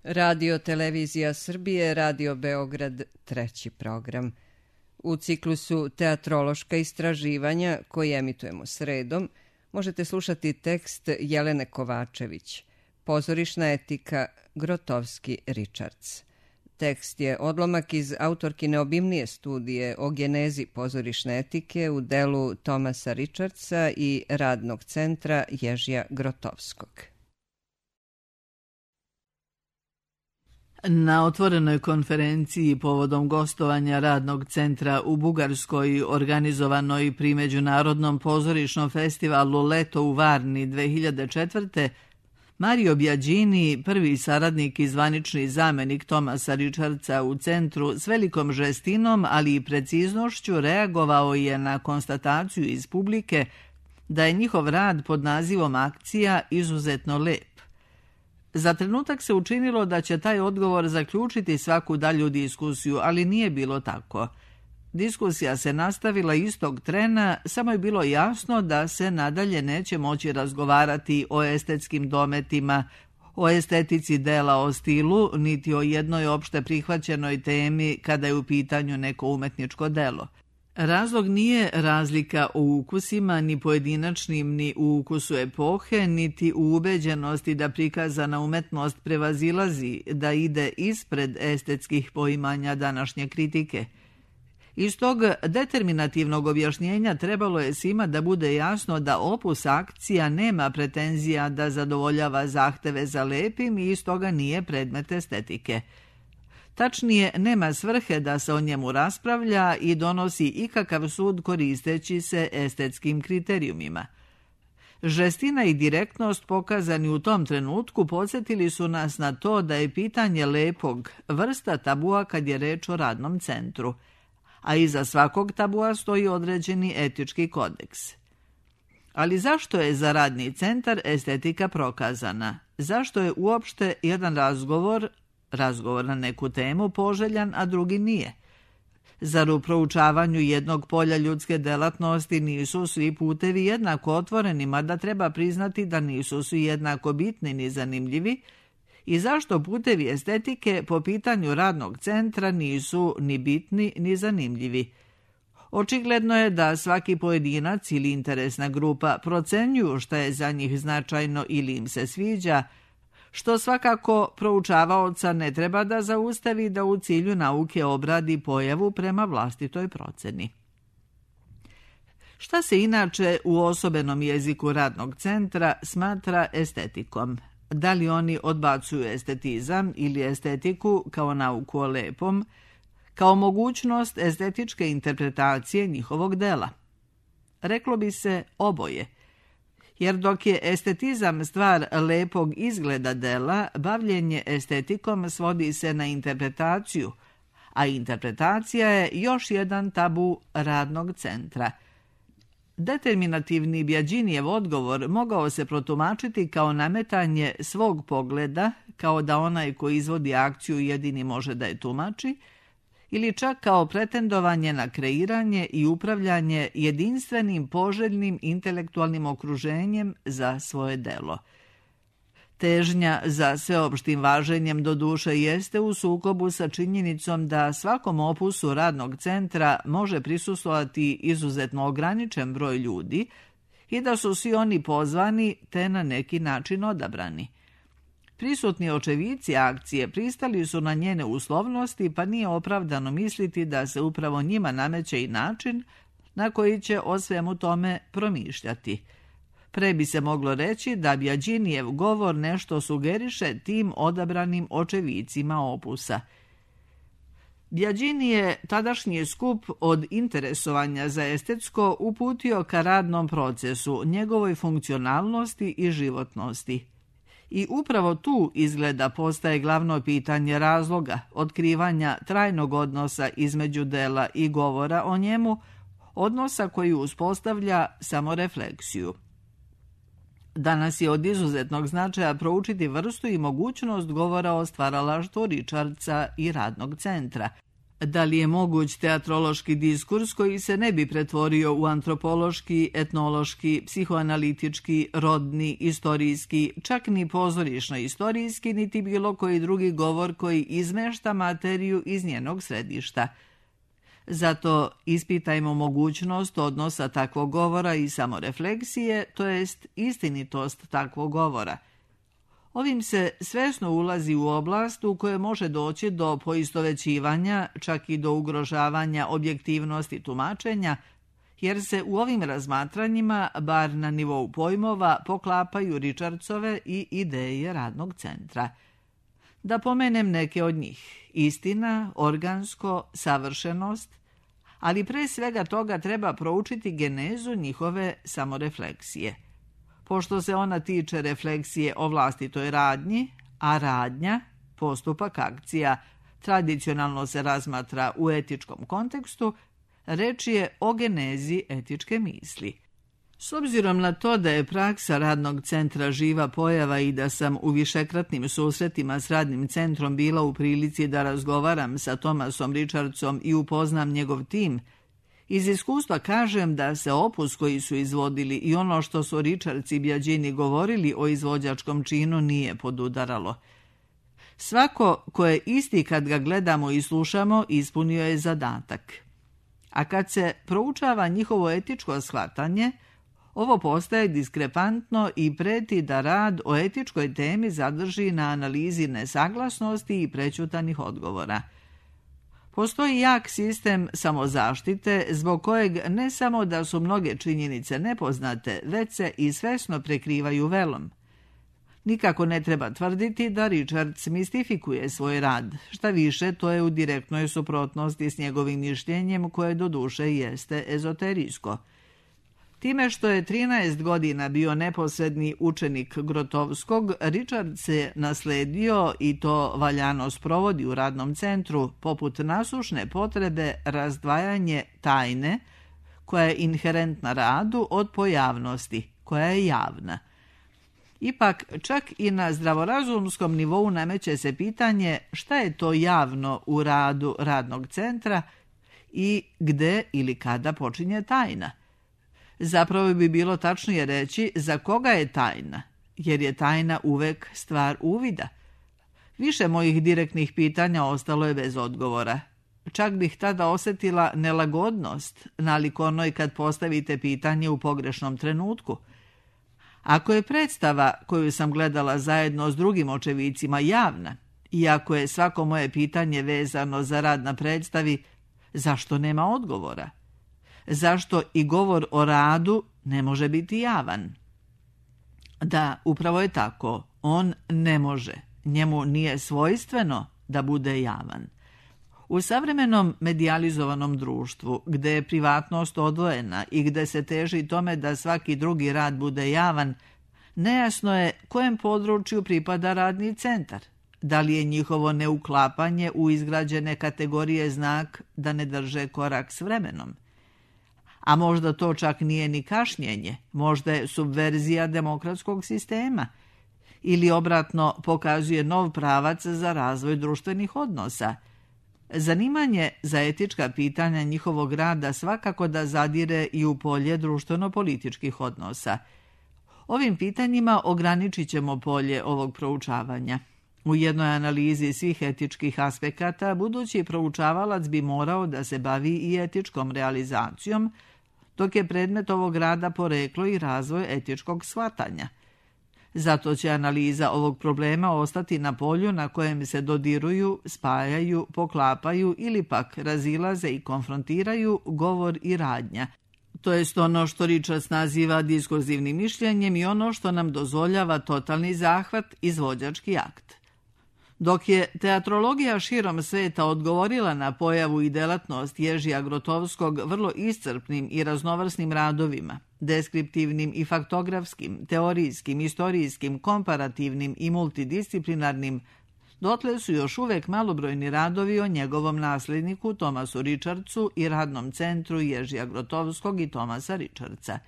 Radio Televizija Srbije, Radio Beograd, treći program. U ciklusu Teatrološka istraživanja, koji emitujemo sredom, možete slušati tekst Jelene Kovačević, Pozorišna etika, Grotowski-Richards. Tekst je odlomak iz autorkine obimnije studije o genezi pozorišne etike u delu Thomasa Richardsa i Radnog centra Ježija Grotowskog. Na otvorenoj konferenciji povodom gostovanja Radnog centra u Bugarskoj, organizovanoj pri Međunarodnom pozorišnom festivalu Leto u Varni 2004. Mario Biagini, prvi saradnik i zvanični zamenik Thomasa Richardsa u centru, s velikom žestinom, ali i preciznošću reagovao je na konstataciju iz publike da je njihov rad pod nazivom Akcija izuzetno lep. Za trenutak se učinilo da će taj odgovor zaključiti svaku dalju diskusiju, ali nije bilo tako. Diskusija se nastavila istog trena, samo je bilo jasno da se nadalje neće moći razgovarati o estetskim dometima, o estetici dela, o stilu, niti o jednoj opšte prihvaćenoj temi kada je u pitanju neko umetničko delo. Razlog nije razlika u ukusima, ni pojedinačnim, ni u ukusu epohe, niti u ubeđenosti da prikazana umetnost prevazilazi, da ide ispred estetskih poimanja današnje kritike. Iz tog determinativnog objašnjenja trebalo je svima da bude jasno da opus Akcija nema pretenzija da zadovoljava zahteve za lepim i iz toga nije predmet estetike. Tačnije, nema svrhe da se o njemu raspravlja i donosi ikakav sud koristeći se estetskim kriterijumima. Žestina i direktnost pokazani u tom trenutku podsjetili su nas na to da je pitanje lepog vrsta tabua kad je reč o Radnom centru, a iza svakog tabua stoji određeni etički kodeks. Ali zašto je za Radni centar estetika prokazana? Zašto je uopšte jedan razgovor na neku temu poželjan, a drugi nije? Zar u proučavanju jednog polja ljudske delatnosti nisu svi putevi jednako otvoreni, mada treba priznati da nisu svi jednako bitni ni zanimljivi? I zašto putevi estetike po pitanju Radnog centra nisu ni bitni ni zanimljivi? Očigledno je da svaki pojedinac ili interesna grupa procenjuju šta je za njih značajno ili im se sviđa, što svakako proučavaoca ne treba da zaustavi da u cilju nauke obradi pojavu prema vlastitoj proceni. Šta se inače u osobenom jeziku Radnog centra smatra estetikom? Da li oni odbacuju estetizam ili estetiku kao nauku o lepom, kao mogućnost estetičke interpretacije njihovog dela? Reklo bi se oboje. Jer dok je estetizam stvar lepog izgleda dela, bavljenje estetikom svodi se na interpretaciju, a interpretacija je još jedan tabu Radnog centra. Determinativni Biaginijev odgovor mogao se protumačiti kao nametanje svog pogleda, kao da onaj koji izvodi akciju jedini može da je tumači, ili čak kao pretendovanje na kreiranje i upravljanje jedinstvenim, poželjnim intelektualnim okruženjem za svoje delo. Težnja za sveopštim važenjem do duše jeste u sukobu sa činjenicom da svakom opusu Radnog centra može prisustvovati izuzetno ograničen broj ljudi i da su svi oni pozvani te na neki način odabrani. Prisutni očevici akcije pristali su na njene uslovnosti, pa nije opravdano misliti da se upravo njima nameće i način na koji će o svemu tome promišljati. Pre bi se moglo reći da Biaginijev govor nešto sugeriše tim odabranim očevicima opusa. Biagini je tadašnji skup od interesovanja za estetsko uputio ka radnom procesu, njegovoj funkcionalnosti i životnosti. I upravo tu izgleda postaje glavno pitanje razloga, otkrivanja trajnog odnosa između dela i govora o njemu, odnosa koji uspostavlja samorefleksiju. Danas je od izuzetnog značaja proučiti vrstu i mogućnost govora o stvaralaštvu Richardsa i Radnog centra. Da li je moguć teatrološki diskurs koji se ne bi pretvorio u antropološki, etnološki, psihoanalitički, rodni, istorijski, čak ni pozorišno-istorijski, niti bilo koji drugi govor koji izmešta materiju iz njenog središta? Zato ispitajmo mogućnost odnosa takvog govora i samorefleksije, to jest istinitost takvog govora. Ovim se svesno ulazi u oblast u kojoj može doći do poistovećivanja, čak i do ugrožavanja objektivnosti tumačenja, jer se u ovim razmatranjima, bar na nivou pojmova, poklapaju Richardsove i ideje radnog centra. Da pomenem neke od njih: istina, organsko, savršenost, ali pre svega toga treba proučiti genezu njihove samorefleksije. Pošto se ona tiče refleksije o vlastitoj radnji, a radnja, postupak, akcija, tradicionalno se razmatra u etičkom kontekstu, reč je o genezi etičke misli. S obzirom na to da je praksa radnog centra živa pojava i da sam u višekratnim susretima s radnim centrom bila u prilici da razgovaram sa Thomasom Richardsom i upoznam njegov tim, iz iskustva kažem da se opus koji su izvodili i ono što su Richards i Biagini govorili o izvođačkom činu nije podudaralo. Svako ko je isti kad ga gledamo i slušamo ispunio je zadatak. A kad se proučava njihovo etičko shvatanje, ovo postaje diskrepantno i preti da rad o etičkoj temi zadrži na analizi nesaglasnosti i prećutanih odgovora. Postoji jak sistem samozaštite zbog kojeg ne samo da su mnoge činjenice nepoznate, već se i svesno prekrivaju velom. Nikako ne treba tvrditi da Richards mistifikuje svoj rad, šta više to je u direktnoj suprotnosti s njegovim mišljenjem koje doduše jeste ezoterijsko. Time što je 13 godina bio neposredni učenik Grotovskog, Richards je nasledio i to valjano sprovodi u radnom centru poput nasušne potrebe razdvajanje tajne, koja je inherentna radu, od pojavnosti, koja je javna. Ipak, čak i na zdravorazumskom nivou nameće se pitanje šta je to javno u radu radnog centra i gde ili kada počinje tajna. Zapravo bi bilo tačnije reći za koga je tajna, jer je tajna uvek stvar uvida. Više mojih direktnih pitanja ostalo je bez odgovora. Čak bih tada osjetila nelagodnost, nalik onoj kad postavite pitanje u pogrešnom trenutku. Ako je predstava koju sam gledala zajedno s drugim očevicima javna, i ako je svako moje pitanje vezano za rad na predstavi, zašto nema odgovora? Zašto i govor o radu ne može biti javan? Da, upravo je tako. On ne može. Njemu nije svojstveno da bude javan. U savremenom medijalizovanom društvu, gde je privatnost odvojena i gde se teži tome da svaki drugi rad bude javan, nejasno je kojem području pripada radni centar. Da li je njihovo neuklapanje u izgrađene kategorije znak da ne drže korak s vremenom? A možda to čak nije ni kašnjenje, možda je subverzija demokratskog sistema ili obratno pokazuje nov pravac za razvoj društvenih odnosa. Zanimanje za etička pitanja njihovog rada svakako da zadire i u polje društveno-političkih odnosa. Ovim pitanjima ograničit ćemo polje ovog proučavanja. U jednoj analizi svih etičkih aspekata budući proučavalac bi morao da se bavi i etičkom realizacijom, dok je predmet ovog rada poreklo i razvoj etičkog shvatanja. Zato će analiza ovog problema ostati na polju na kojem se dodiruju, spajaju, poklapaju ili pak razilaze i konfrontiraju govor i radnja. To jest ono što Richards naziva diskurzivnim mišljenjem i ono što nam dozvoljava totalni zahvat, izvođački akt. Dok je teatrologija širom sveta odgovorila na pojavu i delatnost Ježija Grotovskog vrlo iscrpnim i raznovrsnim radovima, deskriptivnim i faktografskim, teorijskim, istorijskim, komparativnim i multidisciplinarnim, dotle su još uvek malobrojni radovi o njegovom nasljedniku Thomasu Richardsu i radnom centru Ježija Grotovskog i Thomasa Richardsa.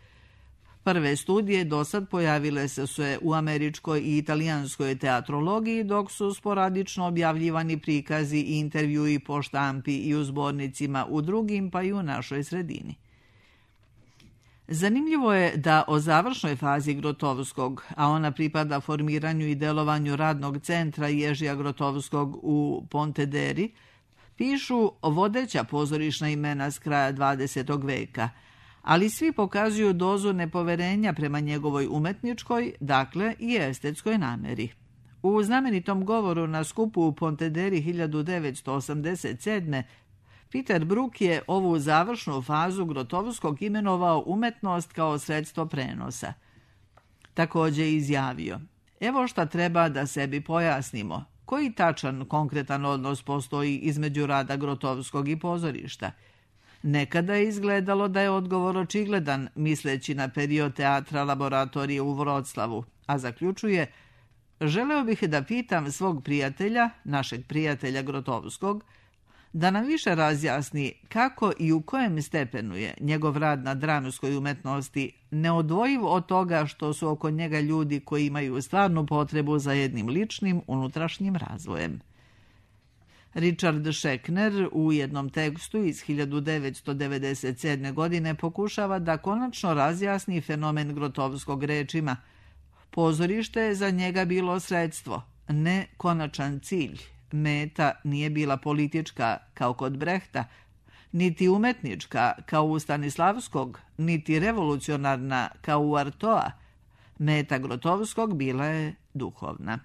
Prve studije dosad pojavile se u američkoj i italijanskoj teatrologiji, dok su sporadično objavljivani prikazi i intervjui po štampi i u zbornicima u drugim, pa i u našoj sredini. Zanimljivo je da o završnoj fazi Grotovskog, a ona pripada formiranju i delovanju radnog centra Ježija Grotovskog u Pontederi, pišu vodeća pozorišna imena s kraja 20. veka, ali svi pokazuju dozu nepoverenja prema njegovoj umetničkoj, dakle i estetskoj nameri. U znamenitom govoru na skupu u Pontederi 1987. Peter Brook je ovu završnu fazu Grotovskog imenovao umetnost kao sredstvo prenosa. Također je izjavio: evo šta treba da sebi pojasnimo. Koji tačan, konkretan odnos postoji između rada Grotovskog i pozorišta? Nekada je izgledalo da je odgovor očigledan, misleći na period teatra laboratorije u Vroclavu, a zaključuje: želeo bih da pitam svog prijatelja, našeg prijatelja Grotovskog, da nam više razjasni kako i u kojem stepenu je njegov rad na dramskoj umetnosti neodvojiv od toga što su oko njega ljudi koji imaju stvarnu potrebu za jednim ličnim unutrašnjim razvojem. Richard Schechner u jednom tekstu iz 1997. godine pokušava da konačno razjasni fenomen Grotovskog rečima: pozorište je za njega bilo sredstvo, ne konačan cilj. Meta nije bila politička kao kod Brehta, niti umetnička kao u Stanislavskog, niti revolucionarna kao u Artoa. Meta Grotovskog bila je duhovna.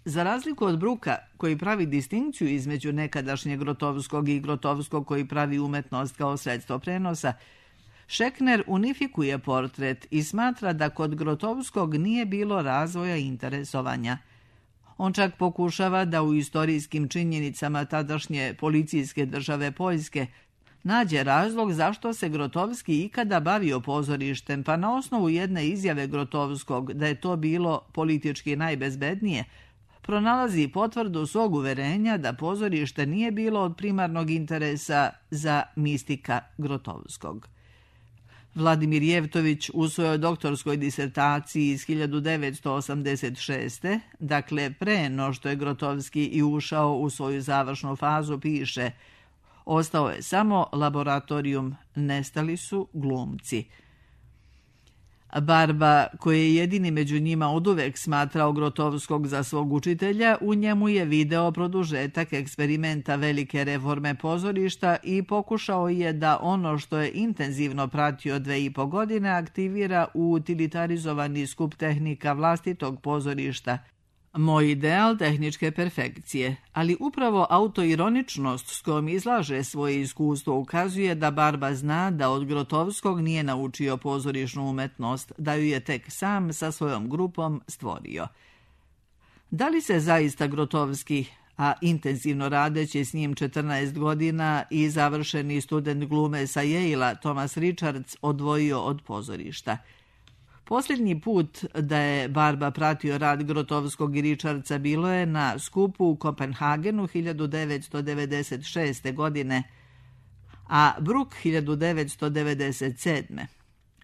Za razliku od Brooka, koji pravi distinkciju između nekadašnjeg Grotovskog i Grotovskog koji pravi umetnost kao sredstvo prenosa, Schechner unifikuje portret i smatra da kod Grotovskog nije bilo razvoja i interesovanja. On čak pokušava da u istorijskim činjenicama tadašnje policijske države Poljske nađe razlog zašto se Grotovski ikada bavio pozorištem, pa na osnovu jedne izjave Grotovskog da je to bilo politički najbezbednije, pronalazi potvrdu svog uverenja da pozorište nije bilo od primarnog interesa za mistika Grotovskog. Vladimir Jevtović u svojoj doktorskoj disertaciji iz 1986. dakle pre no što je Grotovski i ušao u svoju završnu fazu, piše: ostao je samo laboratorijum, nestali su glumci. Barba, koji je jedini među njima oduvek smatrao Grotovskog za svog učitelja, u njemu je video produžetak eksperimenta velike reforme pozorišta i pokušao je da ono što je intenzivno pratio 2,5 godine aktivira u utilitarizovani skup tehnika vlastitog pozorišta. Moj ideal tehničke perfekcije, ali upravo autoironičnost s kojom izlaže svoje iskustvo ukazuje da Barba zna da od Grotovskog nije naučio pozorišnu umetnost, da ju je tek sam sa svojom grupom stvorio. Da li se zaista Grotovski, a intenzivno radeći s njim 14 godina i završeni student glume sa Yale-a Thomas Richards odvojio od pozorišta? Posljednji put da je Barba pratio rad Grotovskog i Richardsa bilo je na skupu u Kopenhagenu 1996. godine, a Brook 1997.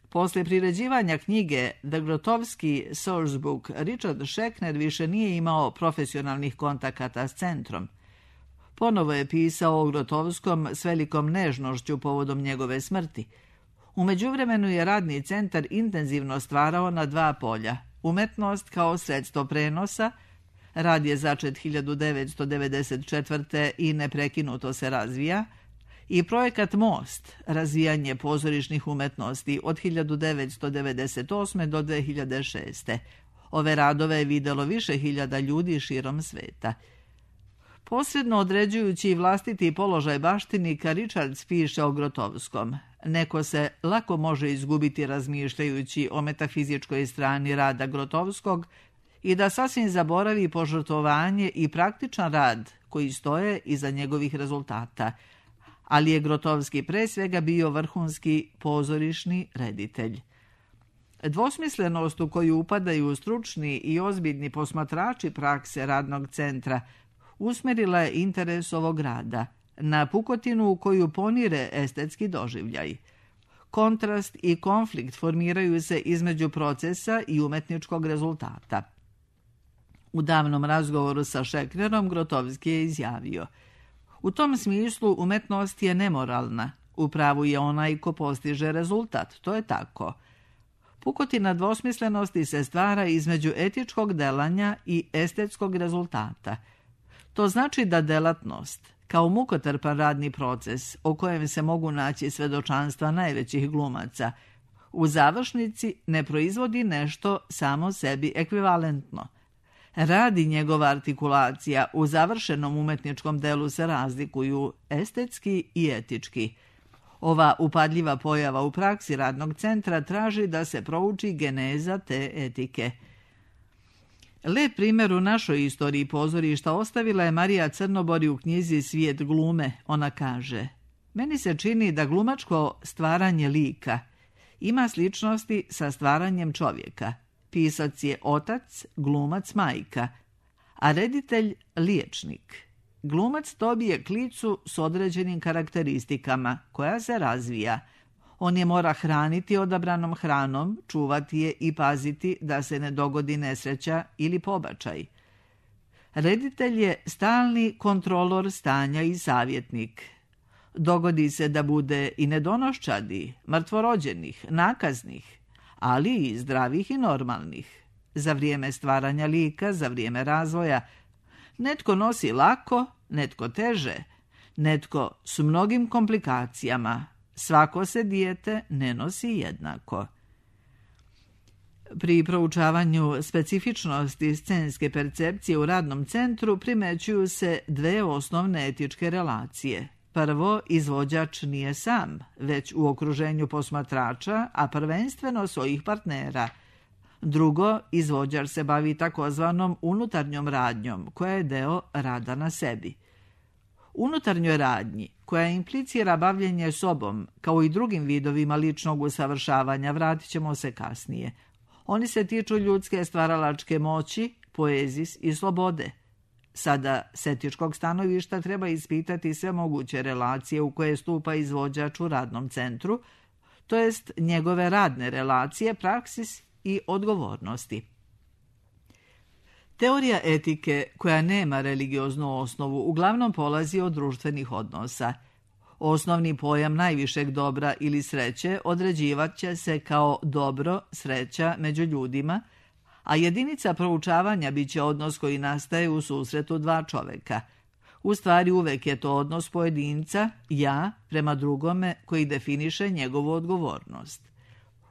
Posle priređivanja knjige The Grotovski Source Book, Richard Schechner više nije imao profesionalnih kontakata s centrom. Ponovo je pisao o Grotovskom s velikom nežnošću povodom njegove smrti. U međuvremenu je radni centar intenzivno stvarao na 2 polja: umetnost kao sredstvo prenosa, rad je začet 1994. i neprekinuto se razvija, i projekat Most, razvijanje pozorišnih umetnosti od 1998. do 2006. Ove radove je videlo više hiljada ljudi širom sveta. Posredno određujući vlastiti položaj baštinika, Richards piše o Grotovskom: neko se lako može izgubiti razmišljajući o metafizičkoj strani rada Grotovskog i da sasvim zaboravi požrtvovanje i praktičan rad koji stoje iza njegovih rezultata. Ali je Grotovski pre svega bio vrhunski pozorišni reditelj. Dvosmislenost u koju upadaju stručni i ozbiljni posmatrači prakse radnog centra usmjerila je interes ovog rada na pukotinu u koju ponire estetski doživljaj. Kontrast i konflikt formiraju se između procesa i umetničkog rezultata. U davnom razgovoru sa Šeklerom Grotowski je izjavio: u tom smislu umetnost je nemoralna. U pravu je onaj ko postiže rezultat. To je tako. Pukotina dvosmislenosti se stvara između etičkog delanja i estetskog rezultata. To znači da delatnost, kao mukotrpan radni proces o kojem se mogu naći svedočanstva najvećih glumaca, u završnici ne proizvodi nešto samo sebi ekvivalentno. Rad i njegova artikulacija u završenom umetničkom delu se razlikuju estetski i etički. Ova upadljiva pojava u praksi radnog centra traži da se prouči geneza te etike. Lep primjer u našoj istoriji pozorišta ostavila je Marija Crnobori u knjizi Svijet glume. Ona kaže: meni se čini da glumačko stvaranje lika ima sličnosti sa stvaranjem čovjeka. Pisac je otac, glumac majka, a reditelj liječnik. Glumac dobije klicu s određenim karakteristikama koja se razvija. On je mora hraniti odabranom hranom, čuvati je i paziti da se ne dogodi nesreća ili pobačaj. Reditelj je stalni kontrolor stanja i savjetnik. Dogodi se da bude i nedonoščadi, mrtvorođenih, nakaznih, ali i zdravih i normalnih. Za vrijeme stvaranja lika, za vrijeme razvoja, netko nosi lako, netko teže, netko s mnogim komplikacijama. Svako se dijete ne nosi jednako. Pri proučavanju specifičnosti scenske percepcije u radnom centru primećuju se dve osnovne etičke relacije. Prvo, izvođač nije sam, već u okruženju posmatrača, a prvenstveno svojih partnera. Drugo, izvođač se bavi takozvanom unutarnjom radnjom, koja je deo rada na sebi. Unutarnjoj radnji, koja implicira bavljenje sobom, kao i drugim vidovima ličnog usavršavanja, vratit ćemo se kasnije. Oni se tiču ljudske stvaralačke moći, poezis i slobode. Sada, s etičkog stanovišta, treba ispitati sve moguće relacije u koje stupa izvođač u radnom centru, to jest njegove radne relacije, praksis i odgovornosti. Teorija etike, koja nema religioznu osnovu, uglavnom polazi od društvenih odnosa. Osnovni pojam najvišeg dobra ili sreće određivat će se kao dobro, sreća među ljudima, a jedinica proučavanja bit će odnos koji nastaje u susretu dva čoveka. U stvari uvek je to odnos pojedinca, ja, prema drugome koji definiše njegovu odgovornost.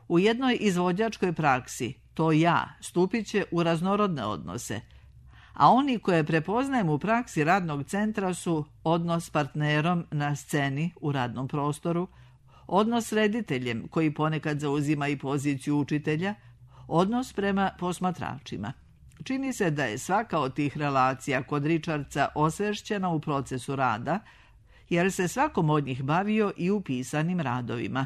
U jednoj izvođačkoj praksi to ja stupit će u raznorodne odnose, a oni koje prepoznajem u praksi radnog centra su odnos s partnerom na sceni u radnom prostoru, odnos s rediteljem koji ponekad zauzima i poziciju učitelja, odnos prema posmatračima. Čini se da je svaka od tih relacija kod Richardsa osvešćena u procesu rada, jer se svakom od njih bavio i u pisanim radovima.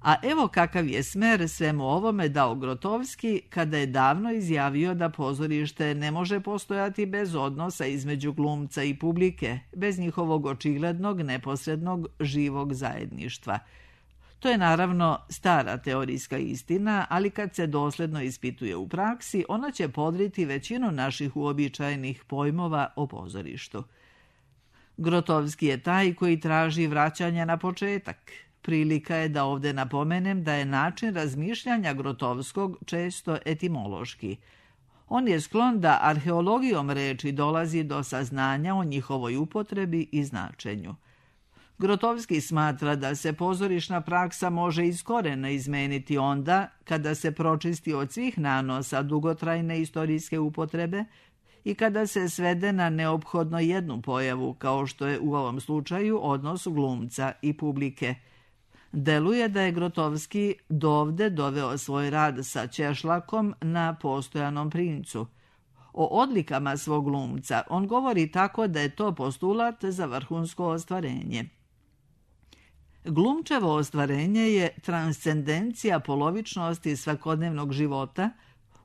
A evo kakav je smer svemu ovome dao Grotowski kada je davno izjavio da pozorište ne može postojati bez odnosa između glumca i publike, bez njihovog očiglednog, neposrednog, živog zajedništva. To je naravno stara teorijska istina, ali kad se dosledno ispituje u praksi, ona će podriti većinu naših uobičajenih pojmova o pozorištu. Grotowski je taj koji traži vraćanje na početak. Prilika je da ovdje napomenem da je način razmišljanja Grotowskog često etimološki. On je sklon da arheologijom reči dolazi do saznanja o njihovoj upotrebi i značenju. Grotowski smatra da se pozorišna praksa može iz korena izmeniti onda kada se pročisti od svih nanosa dugotrajne istorijske upotrebe i kada se svede na neophodno jednu pojavu, kao što je u ovom slučaju odnos glumca i publike. Deluje da je Grotowski dovde doveo svoj rad sa Češlakom na Postojanom princu. O odlikama svog glumca on govori tako da je to postulat za vrhunsko ostvarenje. Glumčevo ostvarenje je transcendencija polovičnosti svakodnevnog života,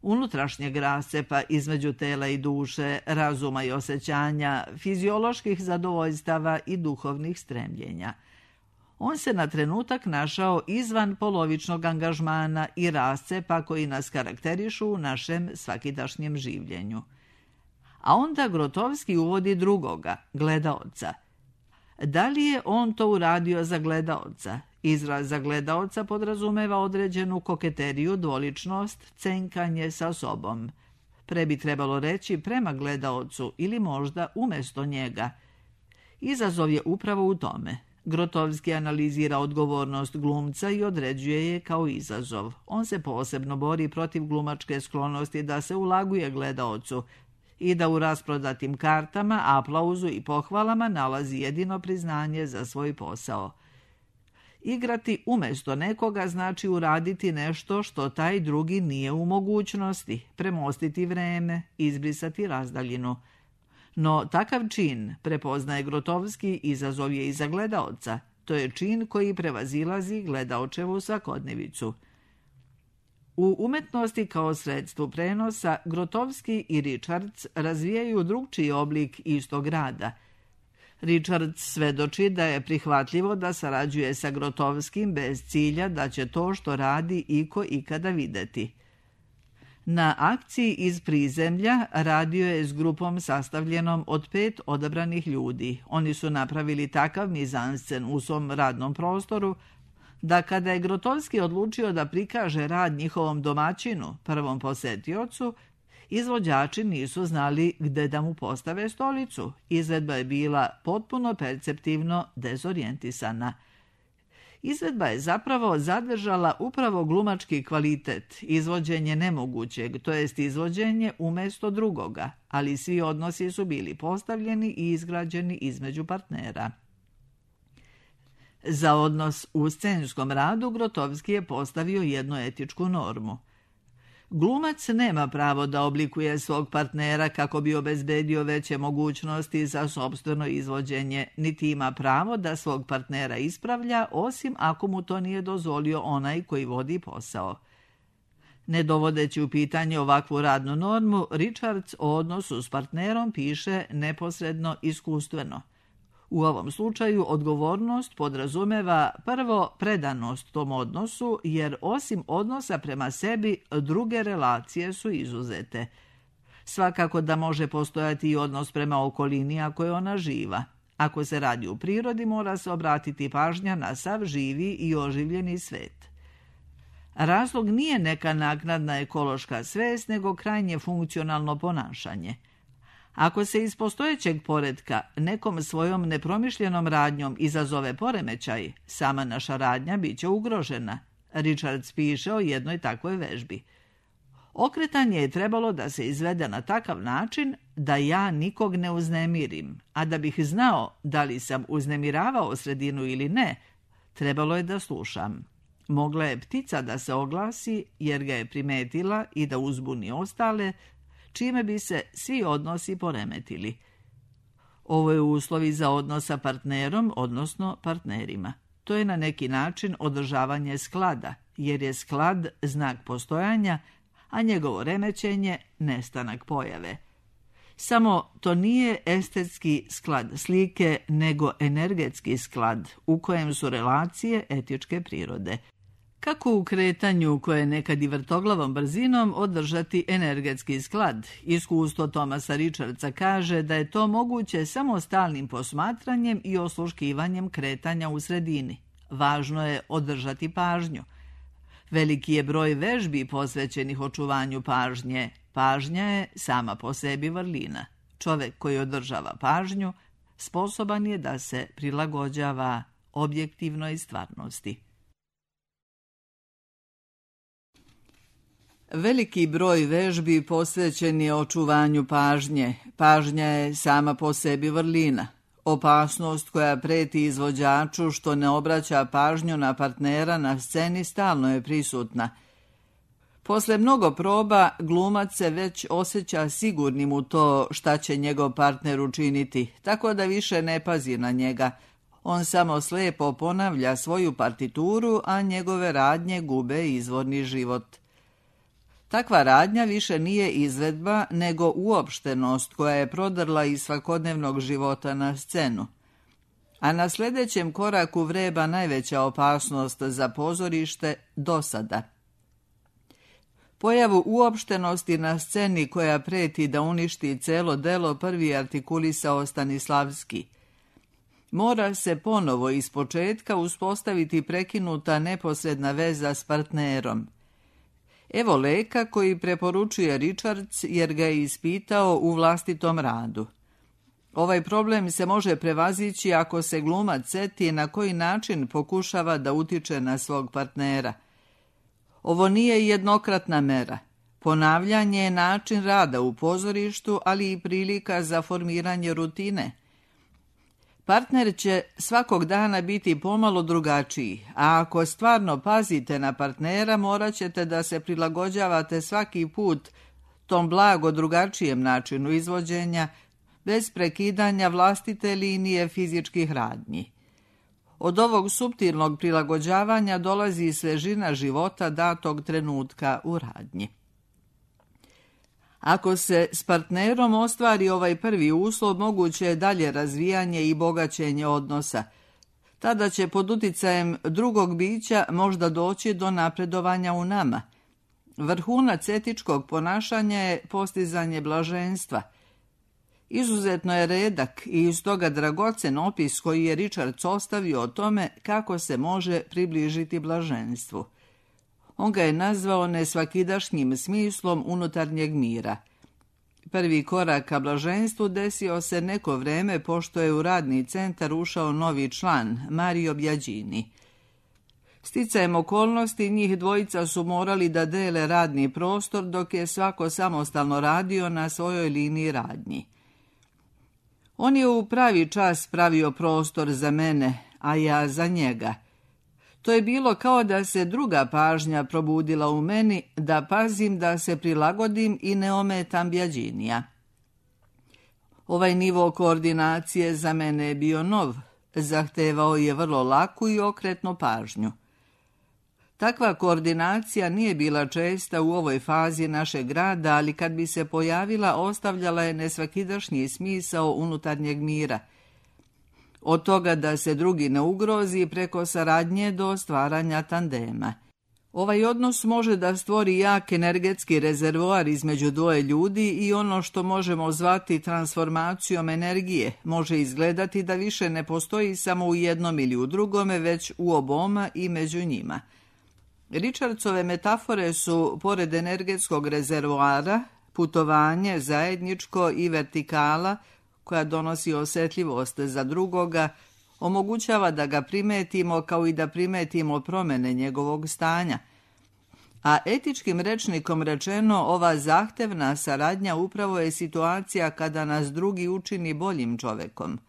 unutrašnjeg rascepa između tela i duše, razuma i osjećanja, fizioloških zadovoljstava i duhovnih stremljenja. On se na trenutak našao izvan polovičnog angažmana i rascepa koji nas karakterišu u našem svakidašnjem življenju. A onda Grotowski uvodi drugoga, gledaoca. Da li je on to uradio za gledaoca? Izraz za gledaoca podrazumeva određenu koketeriju, dvoličnost, cenkanje sa sobom. Pre bi trebalo reći prema gledaocu ili možda umjesto njega. Izazov je upravo u tome. Grotowski analizira odgovornost glumca i određuje je kao izazov. On se posebno bori protiv glumačke sklonosti da se ulaguje gledaocu i da u rasprodatim kartama, aplauzu i pohvalama nalazi jedino priznanje za svoj posao. Igrati umjesto nekoga znači uraditi nešto što taj drugi nije u mogućnosti, premostiti vreme, izbrisati razdaljinu. No takav čin, prepoznaje Grotowski, izazov je i za gledaoca. To je čin koji prevazilazi gledaočevu svakodnevicu. U umetnosti kao sredstvu prenosa Grotowski i Richards razvijaju drugčiji oblik istog rada. Richards svedoči da je prihvatljivo da sarađuje sa Grotowskim bez cilja da će to što radi iko ikada videti. Na akciji iz prizemlja radio je s grupom sastavljenom od 5 odabranih ljudi. Oni su napravili takav mizanscen u svom radnom prostoru da kada je Grotowski odlučio da prikaže rad njihovom domaćinu, prvom posetiocu, izvođači nisu znali gde da mu postave stolicu. Izvedba je bila potpuno perceptivno dezorijentisana. Izvedba je zapravo zadržala upravo glumački kvalitet, izvođenje nemogućeg, to jest izvođenje umjesto drugoga, ali svi odnosi su bili postavljeni i izgrađeni između partnera. Za odnos u scenskom radu Grotowski je postavio jednu etičku normu. Glumac nema pravo da oblikuje svog partnera kako bi obezbedio veće mogućnosti za sopstveno izvođenje, niti ima pravo da svog partnera ispravlja, osim ako mu to nije dozvolio onaj koji vodi posao. Ne dovodeći u pitanje ovakvu radnu normu, Richards o odnosu s partnerom piše neposredno iskustveno. U ovom slučaju odgovornost podrazumeva prvo predanost tom odnosu, jer osim odnosa prema sebi, druge relacije su izuzete. Svakako da može postojati i odnos prema okolini ako je ona živa. Ako se radi u prirodi, mora se obratiti pažnja na sav živi i oživljeni svet. Razlog nije neka naknadna ekološka svest, nego krajnje funkcionalno ponašanje. Ako se iz postojećeg poretka nekom svojom nepromišljenom radnjom izazove poremećaj, sama naša radnja bit će ugrožena. Richards piše o jednoj takvoj vežbi. Okretanje je trebalo da se izvede na takav način da ja nikog ne uznemirim, a da bih znao da li sam uznemiravao sredinu ili ne, trebalo je da slušam. Mogla je ptica da se oglasi jer ga je primetila i da uzbuni ostale, čime bi se svi odnosi poremetili. Ovo je uslovi za odnos sa partnerom, odnosno partnerima. To je na neki način održavanje sklada, jer je sklad znak postojanja, a njegovo remećenje nestanak pojave. Samo to nije estetski sklad slike, nego energetski sklad, u kojem su relacije etičke prirode. Kako u kretanju koje je nekad i vrtoglavom brzinom održati energetski sklad? Iskustvo Thomasa Richardsa kaže da je to moguće samo stalnim posmatranjem i osluškivanjem kretanja u sredini. Važno je održati pažnju. Veliki je broj vežbi posvećenih očuvanju pažnje. Pažnja je sama po sebi vrlina. Čovjek koji održava pažnju sposoban je da se prilagođava objektivnoj stvarnosti. Veliki broj vežbi posvećen je očuvanju pažnje. Pažnja je sama po sebi vrlina. Opasnost koja preti izvođaču što ne obraća pažnju na partnera na sceni stalno je prisutna. Posle mnogo proba, glumac se već osjeća sigurnim u to šta će njegov partner učiniti, tako da više ne pazi na njega. On samo slepo ponavlja svoju partituru, a njegove radnje gube izvorni život. Takva radnja više nije izvedba, nego uopštenost koja je prodrla iz svakodnevnog života na scenu. a na sljedećem koraku vreba najveća opasnost za pozorište dosada. Pojavu uopštenosti na sceni koja preti da uništi celo delo prvi artikulisao Stanislavski. Mora se ponovo ispočetka uspostaviti prekinuta neposredna veza s partnerom. Evo leka koji preporučuje Richards jer ga je ispitao u vlastitom radu. Ovaj problem se može prevazići ako se glumac seti na koji način pokušava da utiče na svog partnera. Ovo nije jednokratna mera. Ponavljanje je način rada u pozorištu, ali i prilika za formiranje rutine. Partner će svakog dana biti pomalo drugačiji, a ako stvarno pazite na partnera, morat ćete da se prilagođavate svaki put tom blago drugačijem načinu izvođenja, bez prekidanja vlastite linije fizičkih radnji. Od ovog suptilnog prilagođavanja dolazi svežina života datog trenutka u radnji. Ako se s partnerom ostvari ovaj prvi uslov, moguće je dalje razvijanje i bogaćenje odnosa. Tada će pod uticajem drugog bića možda doći do napredovanja u nama. Vrhunac etičkog ponašanja je postizanje blaženstva. Izuzetno je redak i iz toga dragocen opis koji je Richards ostavio o tome kako se može približiti blaženstvu. On ga je nazvao nesvakidašnjim smislom unutarnjeg mira. Prvi korak ka blaženstvu desio se neko vreme pošto je u radni centar ušao novi član, Mario Biagini. Sticajem okolnosti njih dvojica su morali da dele radni prostor dok je svako samostalno radio na svojoj liniji radnji. On je u pravi čas pravio prostor za mene, a ja za njega. To je bilo kao da se druga pažnja probudila u meni, da pazim da se prilagodim i ne ometam Biaginija. Ovaj nivo koordinacije za mene je bio nov, zahtevao je vrlo laku i okretnu pažnju. Takva koordinacija nije bila česta u ovoj fazi našeg rada, ali kad bi se pojavila, ostavljala je nesvakidašnji smisao unutarnjeg mira. Od toga da se drugi ne ugrozi preko saradnje do stvaranja tandema. Ovaj odnos može da stvori jak energetski rezervoar između dvoje ljudi i ono što možemo zvati transformacijom energije može izgledati da više ne postoji samo u jednom ili u drugome, već u oboma i među njima. Richardsove metafore su, pored energetskog rezervoara, putovanje, zajedničko i vertikala, koja donosi osjetljivost za drugoga, omogućava da ga primetimo kao i da primetimo promjene njegovog stanja. A etičkim rečnikom rečeno, ova zahtevna saradnja upravo je situacija kada nas drugi učini boljim čovekom.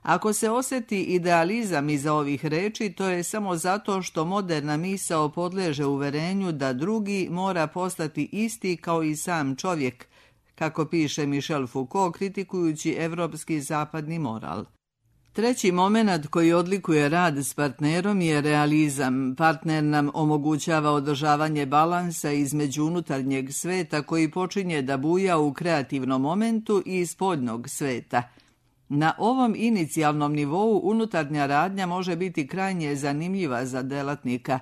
Ako se osjeti idealizam iza ovih reči, to je samo zato što moderna misao podleže uverenju da drugi mora postati isti kao i sam čovjek, kako piše Michel Foucault kritikujući evropski zapadni moral. Treći moment koji odlikuje rad s partnerom je realizam. Partner nam omogućava održavanje balansa između unutarnjeg sveta koji počinje da buja u kreativnom momentu i spoljnog sveta. Na ovom inicijalnom nivou unutarnja radnja može biti krajnje zanimljiva za delatnika,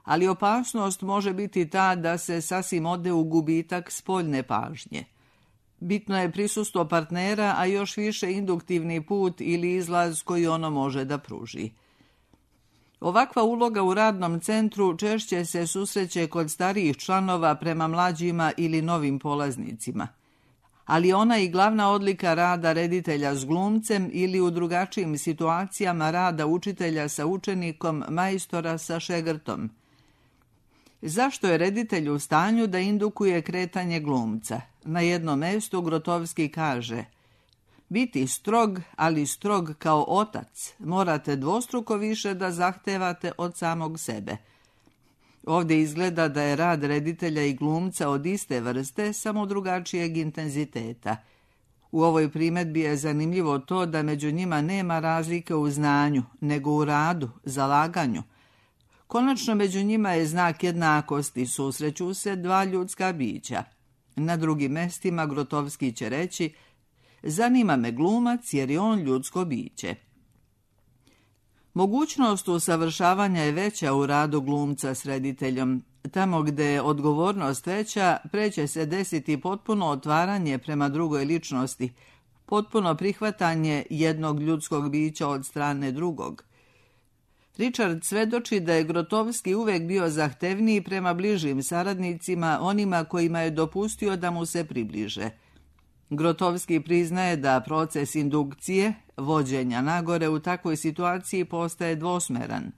ali opasnost može biti ta da se sasvim ode u gubitak spoljne pažnje. Bitno je prisustvo partnera, a još više induktivni put ili izlaz koji ono može da pruži. Ovakva uloga u radnom centru češće se susreće kod starijih članova prema mlađima ili novim polaznicima. Ali ona je i glavna odlika rada reditelja s glumcem ili u drugačijim situacijama rada učitelja sa učenikom, majstora sa šegrtom. Zašto je reditelj u stanju da indukuje kretanje glumca? Na jednom mestu Grotowski kaže: biti strog, ali strog kao otac, morate dvostruko više da zahtevate od samog sebe. Ovdje izgleda da je rad reditelja i glumca od iste vrste, samo drugačijeg intenziteta. U ovoj primjedbi je zanimljivo to da među njima nema razlike u znanju, nego u radu, zalaganju. Konačno među njima je znak jednakosti, susreću se dva ljudska bića. Na drugim mestima Grotowski će reći: zanima me glumac jer je on ljudsko biće. Mogućnost usavršavanja je veća u radu glumca s rediteljom. Tamo gde je odgovornost veća, pre će se desiti potpuno otvaranje prema drugoj ličnosti, potpuno prihvatanje jednog ljudskog bića od strane drugog. Richard svedoči da je Grotowski uvek bio zahtevniji prema bližim saradnicima, onima kojima je dopustio da mu se približe. Grotowski priznaje da proces indukcije, vođenja nagore u takvoj situaciji postaje dvosmeran.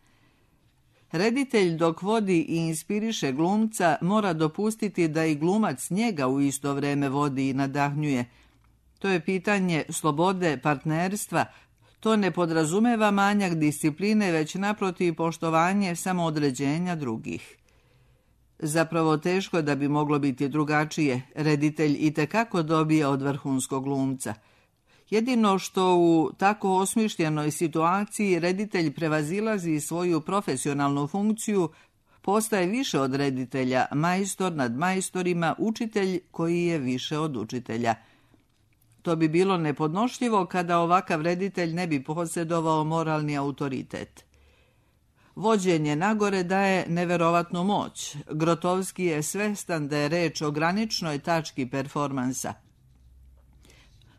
Reditelj dok vodi i inspiriše glumca mora dopustiti da i glumac njega u isto vreme vodi i nadahnjuje. To je pitanje slobode partnerstva. To ne podrazumeva manjak discipline, već naprotiv poštovanje samoodređenja drugih. Zapravo teško da bi moglo biti drugačije. Reditelj itekako dobija od vrhunskog glumca. Jedino što u tako osmišljenoj situaciji reditelj prevazilazi svoju profesionalnu funkciju, postaje više od reditelja, majstor nad majstorima, učitelj koji je više od učitelja. To bi bilo nepodnošljivo kada ovakav reditelj ne bi posjedovao moralni autoritet. Vođenje nagore daje neverovatnu moć. Grotowski je svestan da je reč o graničnoj tački performansa.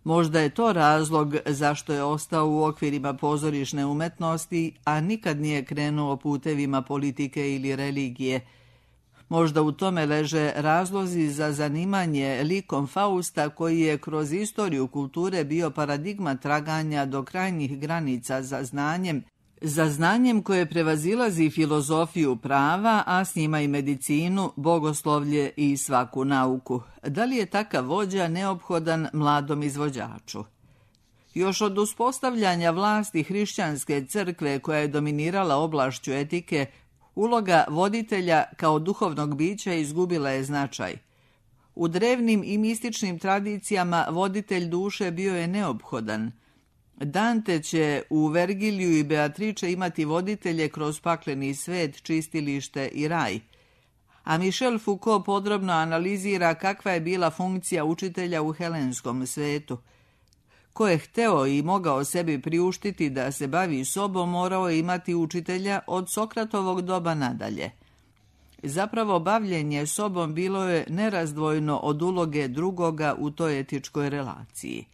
Možda je to razlog zašto je ostao u okvirima pozorišne umetnosti, a nikad nije krenuo putevima politike ili religije. Možda u tome leže razlozi za zanimanje likom Fausta, koji je kroz istoriju kulture bio paradigma traganja do krajnjih granica za znanjem koje prevazilazi filozofiju prava, a s njima i medicinu, bogoslovlje i svaku nauku. Da li je takav vođa neophodan mladom izvođaču? Još od uspostavljanja vlasti hrišćanske crkve koja je dominirala oblašću etike, uloga voditelja kao duhovnog bića izgubila je značaj. U drevnim i mističnim tradicijama voditelj duše bio je neophodan. Dante će u Vergiliju i Beatrice imati voditelje kroz pakleni svet, čistilište i raj. A Michel Foucault podrobno analizira kakva je bila funkcija učitelja u helenskom svetu. Ko je hteo i mogao sebi priuštiti da se bavi sobom, morao je imati učitelja od Sokratovog doba nadalje. Zapravo, bavljenje sobom bilo je nerazdvojno od uloge drugoga u toj etičkoj relaciji.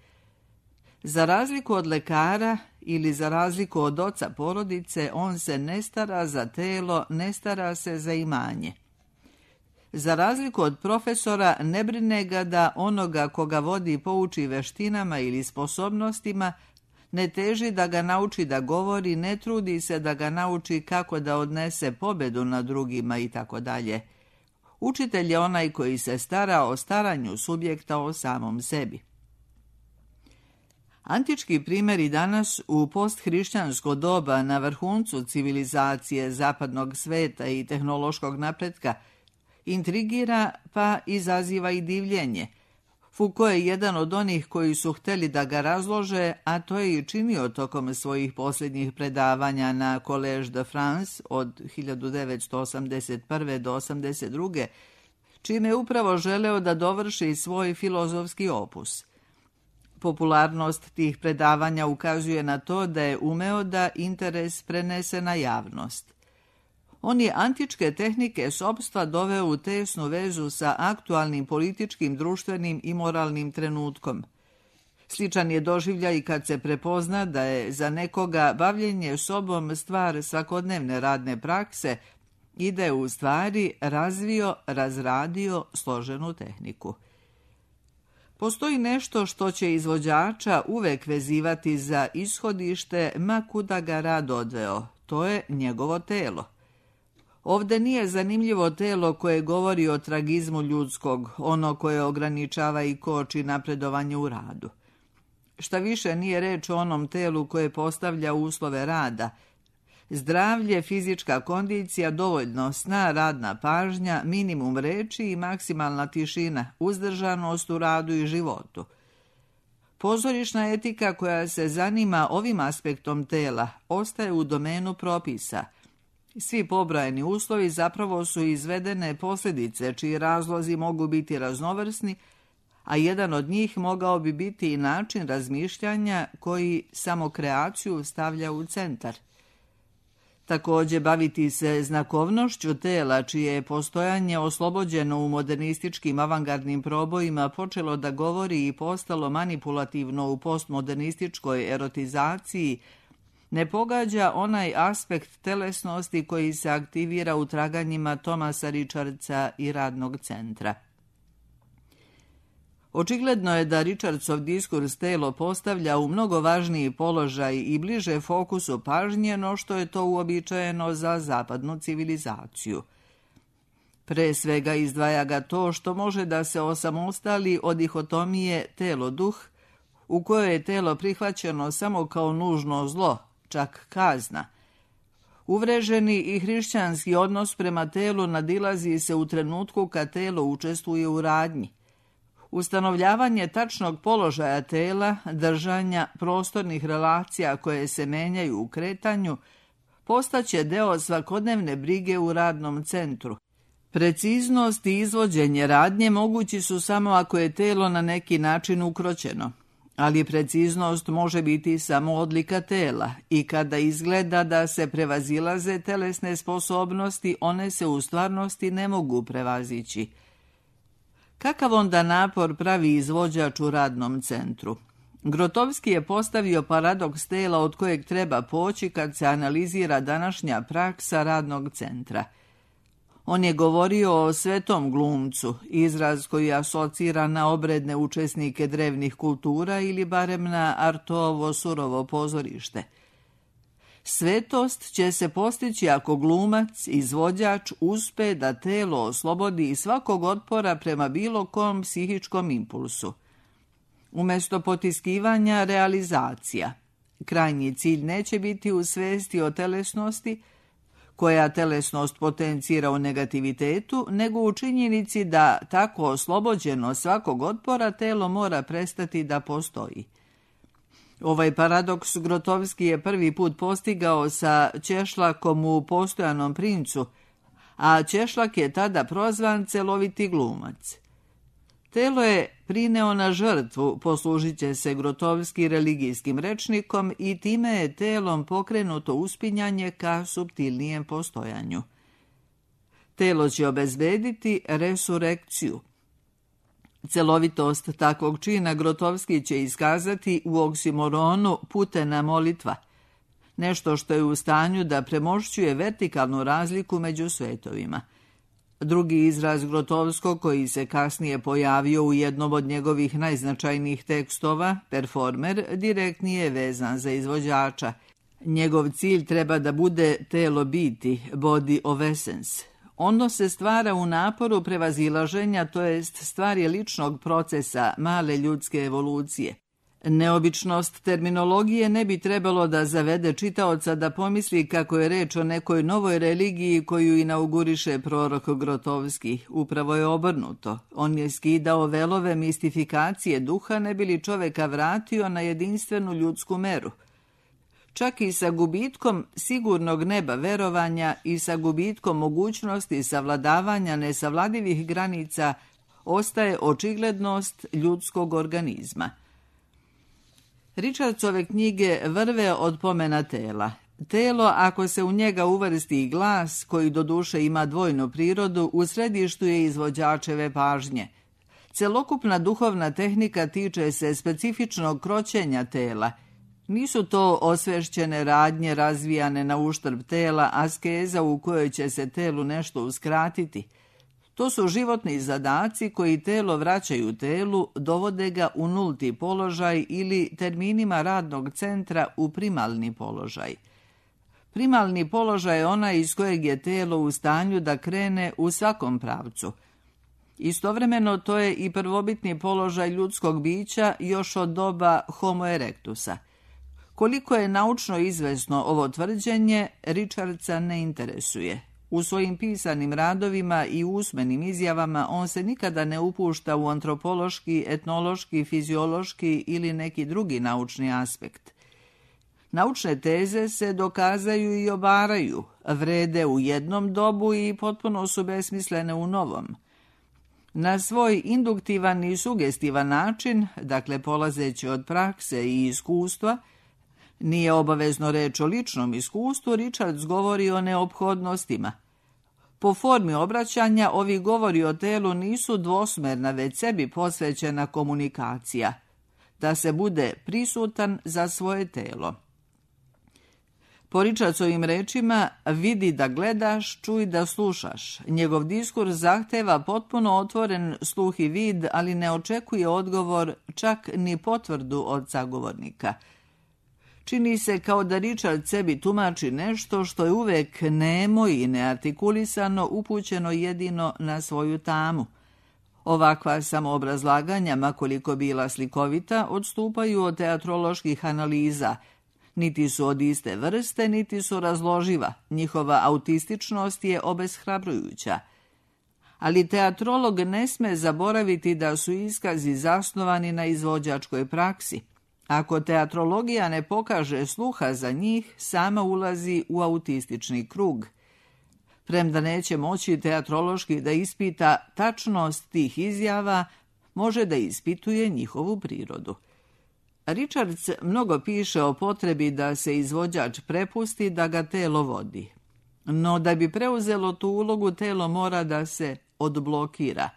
Za razliku od lekara ili za razliku od oca porodice, on se ne stara za telo, ne stara se za imanje. Za razliku od profesora, ne brine ga da onoga koga vodi pouči veštinama ili sposobnostima, ne teži da ga nauči da govori, ne trudi se da ga nauči kako da odnese pobedu nad drugima itd. Učitelj je onaj koji se stara o staranju subjekta o samom sebi. Antički primjeri danas u posthrišćansko doba na vrhuncu civilizacije zapadnog sveta i tehnološkog napretka intrigira pa izaziva i divljenje. Foucault je jedan od onih koji su hteli da ga razlože, a to je i činio tokom svojih posljednjih predavanja na Collège de France od 1981. do 1982. čime je upravo želeo da dovrši svoj filozofski opus. Popularnost tih predavanja ukazuje na to da je umeo da interes prenese na javnost. On je antičke tehnike sopstva doveo u tesnu vezu sa aktualnim političkim, društvenim i moralnim trenutkom. Sličan je doživljaj i kad se prepozna da je za nekoga bavljenje sobom stvar svakodnevne radne prakse i da je u stvari razradio složenu tehniku. Postoji nešto što će izvođača uvek vezivati za ishodište, ma kuda ga rad odveo. To je njegovo telo. Ovde nije zanimljivo telo koje govori o tragizmu ljudskog, ono koje ograničava i koči napredovanje u radu. Šta više, nije reč o onom telu koje postavlja uslove rada. Zdravlje, fizička kondicija, dovoljno sna, radna pažnja, minimum reči i maksimalna tišina, uzdržanost u radu i životu. Pozorišna etika koja se zanima ovim aspektom tela ostaje u domenu propisa. Svi pobrojeni uslovi zapravo su izvedene posljedice čiji razlozi mogu biti raznovrsni, a jedan od njih mogao bi biti i način razmišljanja koji samo kreaciju stavlja u centar. Također baviti se znakovnošću tela, čije je postojanje oslobođeno u modernističkim avangardnim probojima počelo da govori i postalo manipulativno u postmodernističkoj erotizaciji, ne pogađa onaj aspekt telesnosti koji se aktivira u traganjima Thomasa Richardsa i radnog centra. Očigledno je da Richardsov diskurs telo postavlja u mnogo važniji položaj i bliže fokusu pažnje no što je to uobičajeno za zapadnu civilizaciju. Pre svega izdvaja ga to što može da se osamostali od dihotomije telo-duh, u kojoj je telo prihvaćeno samo kao nužno zlo, čak kazna. Uvreženi i hrišćanski odnos prema telu nadilazi se u trenutku kad telo učestvuje u radnji. Ustanovljavanje tačnog položaja tela, držanja prostornih relacija koje se menjaju u kretanju, postaće deo svakodnevne brige u radnom centru. Preciznost i izvođenje radnje mogući su samo ako je telo na neki način ukroćeno, ali preciznost može biti samo odlika tela i kada izgleda da se prevazilaze telesne sposobnosti, one se u stvarnosti ne mogu prevazići. Kakav onda napor pravi izvođač u radnom centru? Grotowski je postavio paradoks tela od kojeg treba poći kad se analizira današnja praksa radnog centra. On je govorio o svetom glumcu, izraz koji asocira na obredne učesnike drevnih kultura ili barem na Artovo surovo pozorište. Svetost će se postići ako glumac, izvođač, uspe da telo oslobodi svakog otpora prema bilo kom psihičkom impulsu. Umjesto potiskivanja, realizacija. Krajnji cilj neće biti u svesti o telesnosti, koja telesnost potencira u negativitetu, nego u činjenici da tako oslobođeno svakog otpora telo mora prestati da postoji. Ovaj paradoks Grotowski je prvi put postigao sa Češlakom u Postojanom princu, a Češlak je tada prozvan celoviti glumac. Telo je prineo na žrtvu, poslužit će se Grotowski religijskim rečnikom i time je telom pokrenuto uspinjanje ka suptilnijem postojanju. Telo će obezbediti resurekciju. Celovitost takvog čina Grotowski će iskazati u oksimoronu putena molitva, nešto što je u stanju da premošćuje vertikalnu razliku među svetovima. Drugi izraz Grotowskog koji se kasnije pojavio u jednom od njegovih najznačajnijih tekstova, performer, direktnije je vezan za izvođača. Njegov cilj treba da bude telo biti, body of essence. Ono se stvara u naporu prevazilaženja, to jest stvar je ličnog procesa male ljudske evolucije. Neobičnost terminologije ne bi trebalo da zavede čitaoca da pomisli kako je reč o nekoj novoj religiji koju inauguriše prorok Grotowski. Upravo je obrnuto. On je skidao velove mistifikacije duha ne bi li čoveka vratio na jedinstvenu ljudsku meru. Čak i sa gubitkom sigurnog neba verovanja i sa gubitkom mogućnosti savladavanja nesavladivih granica ostaje očiglednost ljudskog organizma. Richardsove knjige vrve od pomena tela. Telo, ako se u njega uvrsti i glas, koji doduše ima dvojnu prirodu, u središtu je izvođačeve pažnje. Celokupna duhovna tehnika tiče se specifičnog kroćenja tela. Nisu to osvešćene radnje razvijane na uštrb tela, askeza u kojoj će se telu nešto uskratiti. To su životni zadaci koji telo vraćaju telu, dovode ga u nulti položaj ili terminima radnog centra u primalni položaj. Primalni položaj je onaj iz kojeg je telo u stanju da krene u svakom pravcu. Istovremeno to je i prvobitni položaj ljudskog bića još od doba Homo erectusa. Koliko je naučno izvesno ovo tvrđenje, Richardsa ne interesuje. U svojim pisanim radovima i usmenim izjavama on se nikada ne upušta u antropološki, etnološki, fiziološki ili neki drugi naučni aspekt. Naučne teze se dokazaju i obaraju, vrede u jednom dobu i potpuno su besmislene u novom. Na svoj induktivan i sugestivan način, dakle polazeći od prakse i iskustva, Nije obavezno reč o ličnom iskustvu, Richards govori o neophodnostima. Po formi obraćanja, ovi govori o telu nisu dvosmerna, već sebi posvećena komunikacija, da se bude prisutan za svoje telo. Po Richardsovim rečima, vidi da gledaš, čuj da slušaš. Njegov diskurs zahteva potpuno otvoren sluh i vid, ali ne očekuje odgovor, čak ni potvrdu od sagovornika. Čini se kao da Richard sebi tumači nešto što je uvek nemo i neartikulisano, upućeno jedino na svoju tamu. Ovakva samoobrazlaganja, makoliko bila slikovita, odstupaju od teatroloških analiza. Niti su od iste vrste, niti su razloživa. Njihova autističnost je obeshrabrujuća. Ali teatrolog ne sme zaboraviti da su iskazi zasnovani na izvođačkoj praksi. Ako teatrologija ne pokaže sluha za njih, sama ulazi u autistični krug. Premda neće moći teatrološki da ispita tačnost tih izjava, može da ispituje njihovu prirodu. Richards mnogo piše o potrebi da se izvođač prepusti da ga telo vodi. No da bi preuzelo tu ulogu, telo mora da se odblokira.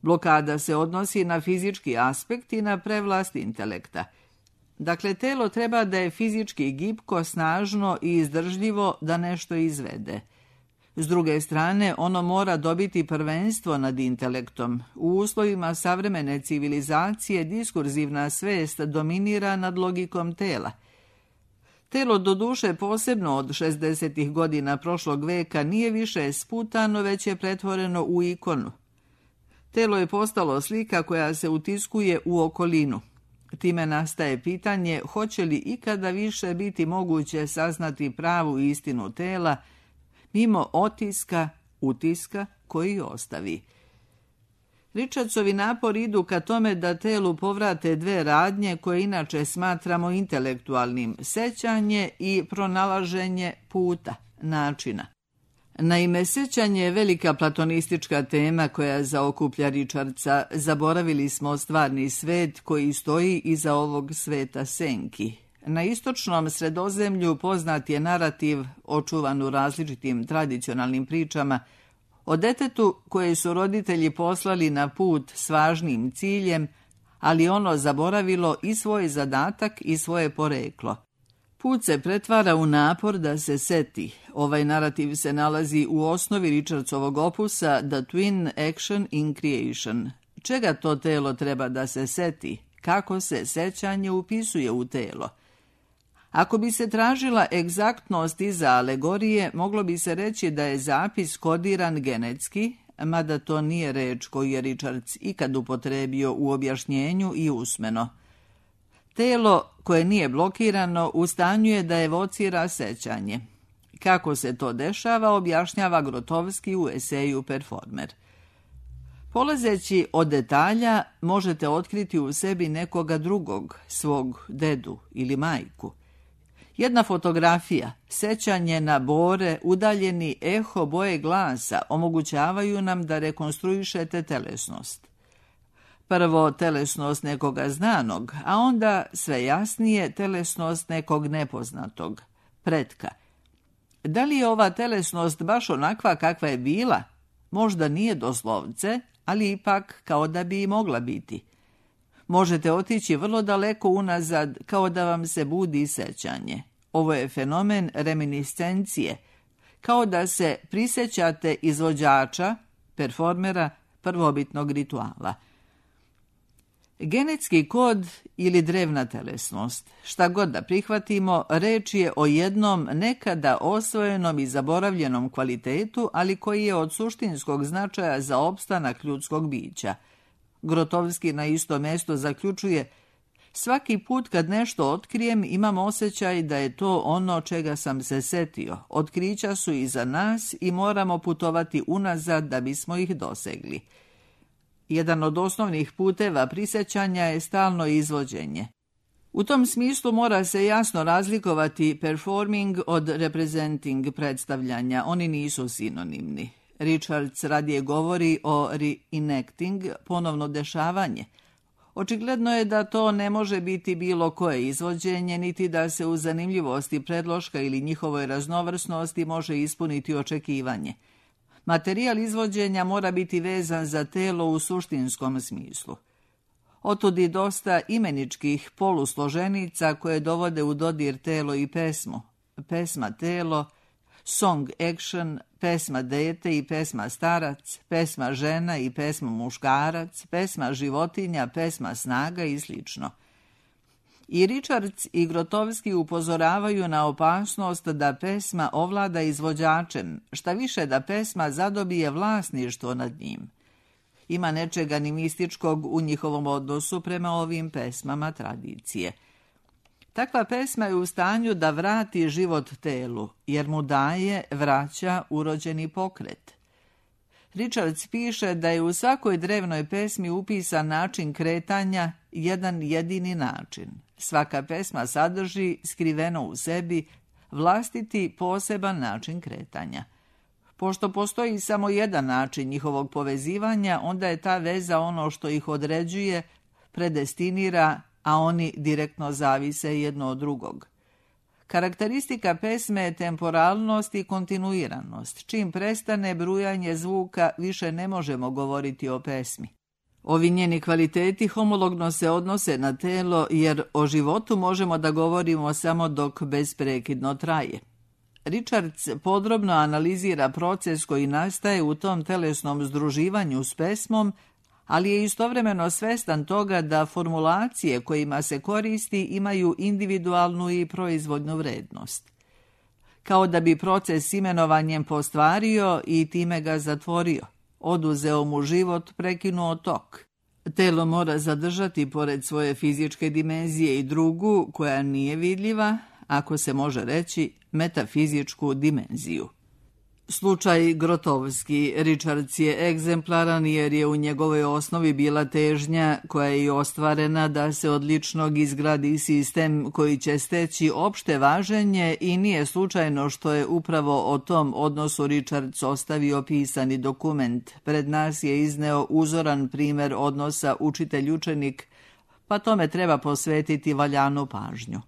Blokada se odnosi na fizički aspekt i na prevlast intelekta. Dakle, telo treba da je fizički gibko, snažno i izdržljivo da nešto izvede. S druge strane, ono mora dobiti prvenstvo nad intelektom. U uslovima savremene civilizacije diskurzivna svest dominira nad logikom tela. Telo, doduše posebno od 60. godina prošlog veka, nije više sputano, već je pretvoreno u ikonu. Telo je postalo slika koja se utiskuje u okolinu. Time nastaje pitanje hoće li ikada više biti moguće saznati pravu istinu tela, mimo utiska koji ostavi. Richardsovi napori idu ka tome da telu povrate dve radnje koje inače smatramo intelektualnim: sećanje i pronalaženje puta, načina. Naime, sećanje je velika platonistička tema koja zaokuplja Richardsa. Zaboravili smo stvarni svet koji stoji iza ovog sveta senki. Na istočnom Sredozemlju poznat je narativ, očuvan u različitim tradicionalnim pričama, o detetu koje su roditelji poslali na put s važnim ciljem, ali ono zaboravilo i svoj zadatak i svoje poreklo. Put se pretvara u napor da se seti. Ovaj narativ se nalazi u osnovi Richardsovog opusa The Twin Action in Creation. Čega to telo treba da se seti? Kako se sećanje upisuje u telo? Ako bi se tražila egzaktnost iza alegorije, moglo bi se reći da je zapis kodiran genetski, mada to nije reč koju je Richards ikad upotrebio u objašnjenju i usmeno. Telo koje nije blokirano u stanju je da evocira sećanje. Kako se to dešava, objašnjava Grotowski u eseju Performer. Polazeći od detalja, možete otkriti u sebi nekoga drugog, svog dedu ili majku. Jedna fotografija, sećanje na bore, udaljeni eho boje glasa omogućavaju nam da rekonstruišete telesnost. Prvo telesnost nekoga znanog, a onda sve jasnije telesnost nekog nepoznatog, pretka. Da li je ova telesnost baš onakva kakva je bila? Možda nije doslovce, ali ipak kao da bi i mogla biti. Možete otići vrlo daleko unazad, kao da vam se budi sećanje. Ovo je fenomen reminiscencije, kao da se prisjećate izvođača, performera, prvobitnog rituala. Genetski kod ili drevna telesnost. Šta god da prihvatimo, reč je o jednom nekada osvojenom i zaboravljenom kvalitetu, ali koji je od suštinskog značaja za opstanak ljudskog bića. Grotowski na isto mesto zaključuje: svaki put kad nešto otkrijem, imam osjećaj da je to ono čega sam se setio. Otkrića su iza nas i moramo putovati unazad da bismo ih dosegli. Jedan od osnovnih puteva prisjećanja je stalno izvođenje. U tom smislu mora se jasno razlikovati performing od representing, predstavljanja. Oni nisu sinonimni. Richards radije govori o reenacting, ponovno dešavanje, Očigledno je da to ne može biti bilo koje izvođenje, niti da se u zanimljivosti predloška ili njihovoj raznovrsnosti može ispuniti očekivanje. Materijal izvođenja mora biti vezan za telo u suštinskom smislu. Otud i dosta imeničkih polusloženica koje dovode u dodir telo i pesmu. Pesma telo, song action, pesma dete i pesma starac, pesma žena i pesma muškarac, pesma životinja, pesma snaga i sl. I Richards i Grotowski upozoravaju na opasnost da pesma ovlada izvođačem, šta više da pesma zadobije vlasništvo nad njim. Ima nečega animističkog u njihovom odnosu prema ovim pesmama tradicije. Takva pesma je u stanju da vrati život telu, jer mu daje, vraća urođeni pokret. Richards piše da je u svakoj drevnoj pesmi upisan način kretanja, jedan jedini način. Svaka pesma sadrži, skriveno u sebi, vlastiti poseban način kretanja. Pošto postoji samo jedan način njihovog povezivanja, onda je ta veza ono što ih određuje, predestinira, a oni direktno zavise jedno od drugog. Karakteristika pesme je temporalnost i kontinuiranost. Čim prestane brujanje zvuka, više ne možemo govoriti o pesmi. Ovi njeni kvaliteti homologno se odnose na telo, jer o životu možemo da govorimo samo dok besprekidno traje. Richards podrobno analizira proces koji nastaje u tom telesnom združivanju s pesmom, ali je istovremeno svestan toga da formulacije kojima se koristi imaju individualnu i proizvodnu vrednost. Kao da bi proces imenovanjem postvario i time ga zatvorio, oduzeo mu život, prekinuo tok. Telo mora zadržati pored svoje fizičke dimenzije i drugu, koja nije vidljiva, ako se može reći, metafizičku dimenziju. Slučaj Grotowski Richards je egzemplaran jer je u njegovoj osnovi bila težnja koja je i ostvarena da se od ličnog izgradi sistem koji će steći opšte važenje i nije slučajno što je upravo o tom odnosu Richards ostavio pisani dokument. Pred nas je izneo uzoran primjer odnosa učitelj-učenik, pa tome treba posvetiti valjanu pažnju.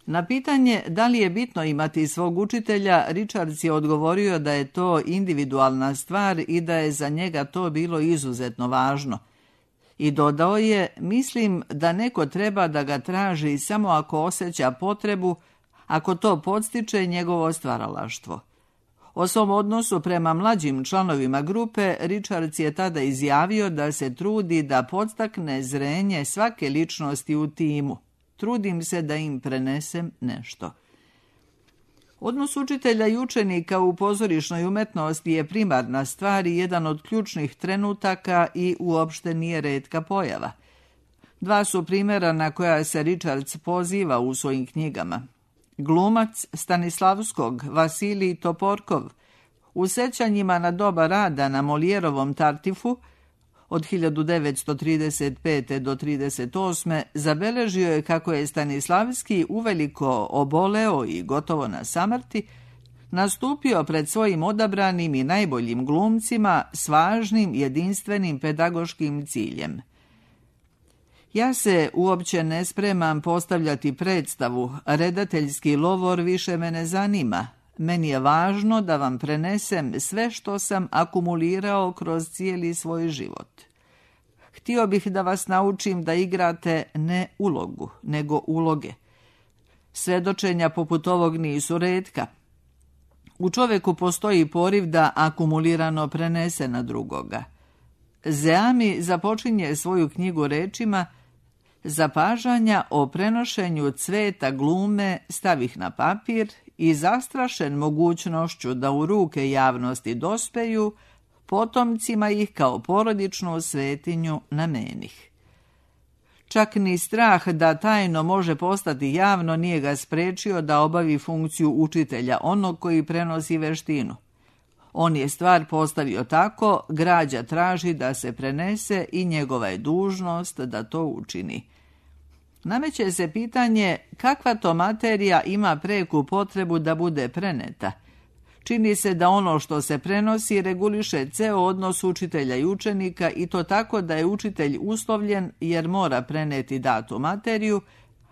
Na pitanje da li je bitno imati svog učitelja, Richards je odgovorio da je to individualna stvar i da je za njega to bilo izuzetno važno. I dodao je, mislim da neko treba da ga traži samo ako osjeća potrebu, ako to podstiče njegovo stvaralaštvo. O svom odnosu prema mlađim članovima grupe, Richards je tada izjavio da se trudi da podstakne zrenje svake ličnosti u timu. Trudim se da im prenesem nešto. Odnos učitelja i učenika u pozorišnoj umetnosti je primarna stvar i jedan od ključnih trenutaka i uopšte nije retka pojava. Dva su primjera na koja se Richards poziva u svojim knjigama. Glumac Stanislavskog, Vasilij Toporkov, u sećanjima na doba rada na Molijerovom Tartifu, od 1935. do 1938. zabeležio je kako je Stanislavski uveliko oboleo i gotovo na samrti, nastupio pred svojim odabranim i najboljim glumcima s važnim, jedinstvenim pedagoškim ciljem. Ja se uopće ne spremam postavljati predstavu, redateljski lovor više me ne zanima. Meni je važno da vam prenesem sve što sam akumulirao kroz cijeli svoj život. Htio bih da vas naučim da igrate ne ulogu, nego uloge. Svedočenja poput ovog nisu retka. U čoveku postoji poriv da akumulirano prenese na drugoga. Zeami započinje svoju knjigu rečima: zapažanja o prenošenju cveta glume stavih na papir i zastrašen mogućnošću da u ruke javnosti dospeju, potomcima ih kao porodičnu svetinju namenih. Čak ni strah da tajno može postati javno nije ga sprečio da obavi funkciju učitelja, onog koji prenosi veštinu. On je stvar postavio tako, građa traži da se prenese i njegova je dužnost da to učini. Nameće se pitanje kakva to materija ima preku potrebu da bude preneta, Čini se da ono što se prenosi reguliše ceo odnos učitelja i učenika i to tako da je učitelj uslovljen jer mora preneti datu materiju,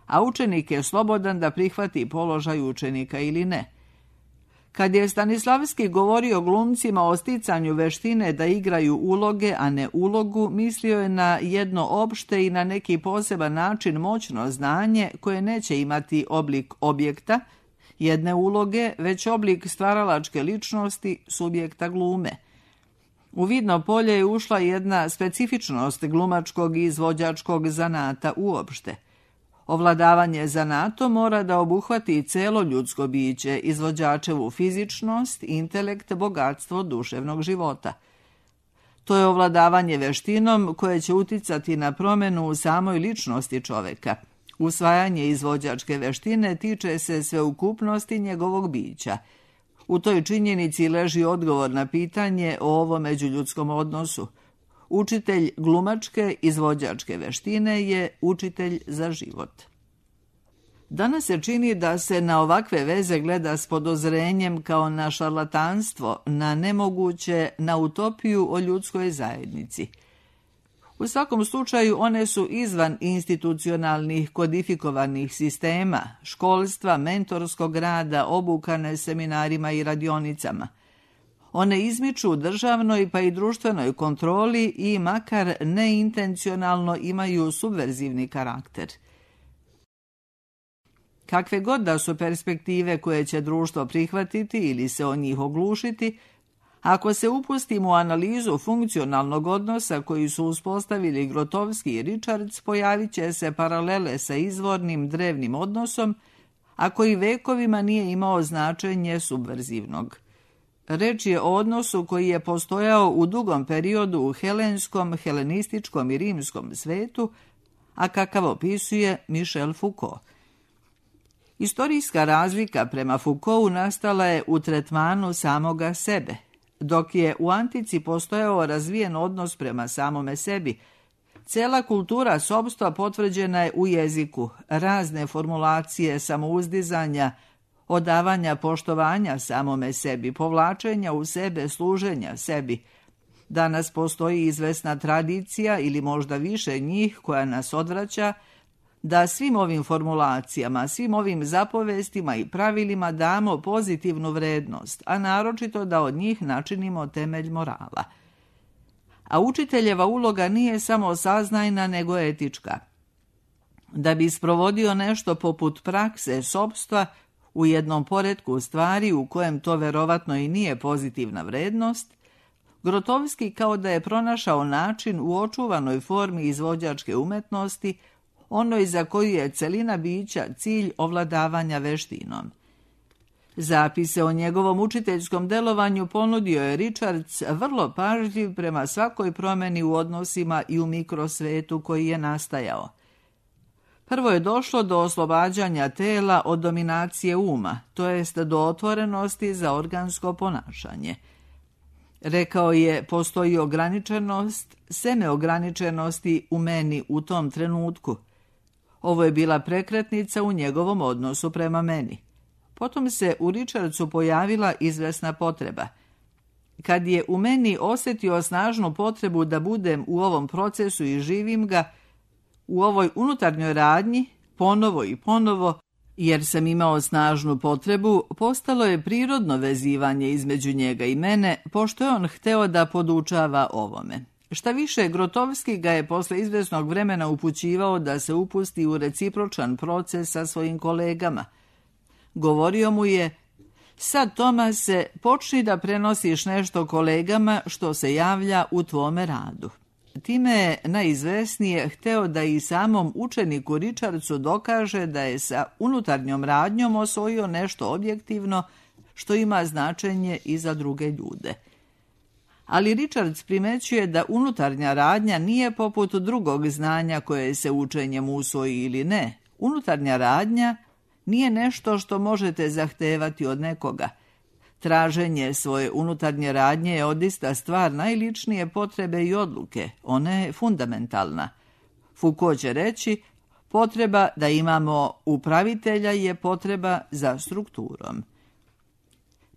a učenik je slobodan da prihvati položaj učenika ili ne. Kad je Stanislavski govorio glumcima o sticanju veštine da igraju uloge, a ne ulogu, mislio je na jedno opšte i na neki poseban način moćno znanje koje neće imati oblik objekta, jedne uloge, već oblik stvaralačke ličnosti subjekta glume. U vidno polje je ušla jedna specifičnost glumačkog i izvođačkog zanata uopšte. Ovladavanje zanatom mora da obuhvati celo ljudsko biće, izvođačevu fizičnost, intelekt, bogatstvo duševnog života. To je ovladavanje veštinom koje će uticati na promenu u samoj ličnosti čoveka. Usvajanje izvođačke veštine tiče se sveukupnosti njegovog bića. U toj činjenici leži odgovor na pitanje o ovom međuljudskom odnosu. Učitelj glumačke izvođačke veštine je učitelj za život. Danas se čini da se na ovakve veze gleda s podozrenjem kao na šarlatanstvo, na nemoguće, na utopiju o ljudskoj zajednici. U svakom slučaju one su izvan institucionalnih kodifikovanih sistema, školstva, mentorskog rada, obukane seminarima i radionicama. One izmiču državnoj pa i društvenoj kontroli i makar neintencionalno imaju subverzivni karakter. Kakve god da su perspektive koje će društvo prihvatiti ili se o njih oglušiti, ako se upustimo u analizu funkcionalnog odnosa koji su uspostavili Grotowski i Richards, pojavit će se paralele sa izvornim drevnim odnosom, a koji vekovima nije imao značenje subverzivnog. Reč je o odnosu koji je postojao u dugom periodu u helenskom, helenističkom i rimskom svetu, a kakav opisuje Michel Foucault. Istorijska razlika prema Foucaultu nastala je u tretmanu samoga sebe, dok je u antici postojao razvijen odnos prema samome sebi. Cela kultura sopstva potvrđena je u jeziku, razne formulacije samouzdizanja, odavanja poštovanja samome sebi, povlačenja u sebe, služenja sebi. Danas postoji izvesna tradicija ili možda više njih koja nas odvraća da svim ovim formulacijama, svim ovim zapovestima i pravilima damo pozitivnu vrednost, a naročito da od njih načinimo temelj morala. A učiteljeva uloga nije samo saznajna nego etička. Da bi sprovodio nešto poput prakse sopstva u jednom poretku stvari u kojem to verovatno i nije pozitivna vrednost, Grotowski kao da je pronašao način u očuvanoj formi izvođačke umetnosti, onoj za koju je celina bića cilj ovladavanja veštinom. Zapise o njegovom učiteljskom delovanju ponudio je Richards vrlo pažljiv prema svakoj promeni u odnosima i u mikrosvetu koji je nastajao. Prvo je došlo do oslobađanja tela od dominacije uma, to jest do otvorenosti za organsko ponašanje. Rekao je, postoji ograničenost, seme ograničenosti u meni u tom trenutku. Ovo je bila prekretnica u njegovom odnosu prema meni. Potom se u Richardsu pojavila izvesna potreba. Kad je u meni osjetio snažnu potrebu da budem u ovom procesu i živim ga, u ovoj unutarnjoj radnji, ponovo i ponovo, jer sam imao snažnu potrebu, postalo je prirodno vezivanje između njega i mene, pošto je on hteo da podučava ovome. Šta više, Grotowski ga je posle izvesnog vremena upućivao da se upusti u recipročan proces sa svojim kolegama. Govorio mu je, sad Tomase, počni da prenosiš nešto kolegama što se javlja u tvome radu. Time je najizvesnije hteo da i samom učeniku Richardsu dokaže da je sa unutarnjom radnjom osvojio nešto objektivno što ima značenje i za druge ljude. Ali Richards primećuje da unutarnja radnja nije poput drugog znanja koje se učenjem usvoji ili ne. Unutarnja radnja nije nešto što možete zahtevati od nekoga. Traženje svoje unutarnje radnje je odista stvar najličnije potrebe i odluke. Ona je fundamentalna. Foucault će reći, potreba da imamo upravitelja je potreba za strukturom.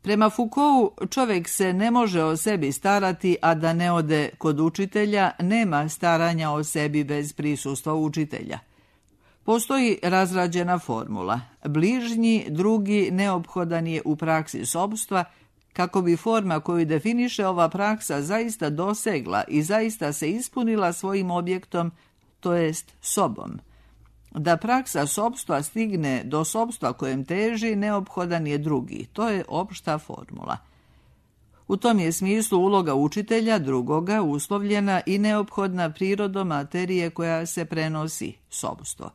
Prema Foucaultu, čovjek se ne može o sebi starati, a da ne ode kod učitelja, nema staranja o sebi bez prisustva učitelja. Postoji razrađena formula. Bližnji, drugi, neophodan je u praksi sopstva, kako bi forma koju definiše ova praksa zaista dosegla i zaista se ispunila svojim objektom, to jest sobom. Da praksa sopstva stigne do sopstva kojem teži, neophodan je drugi. To je opšta formula. U tom je smislu uloga učitelja, drugoga, uslovljena i neophodna prirodom materije koja se prenosi, sopstvo.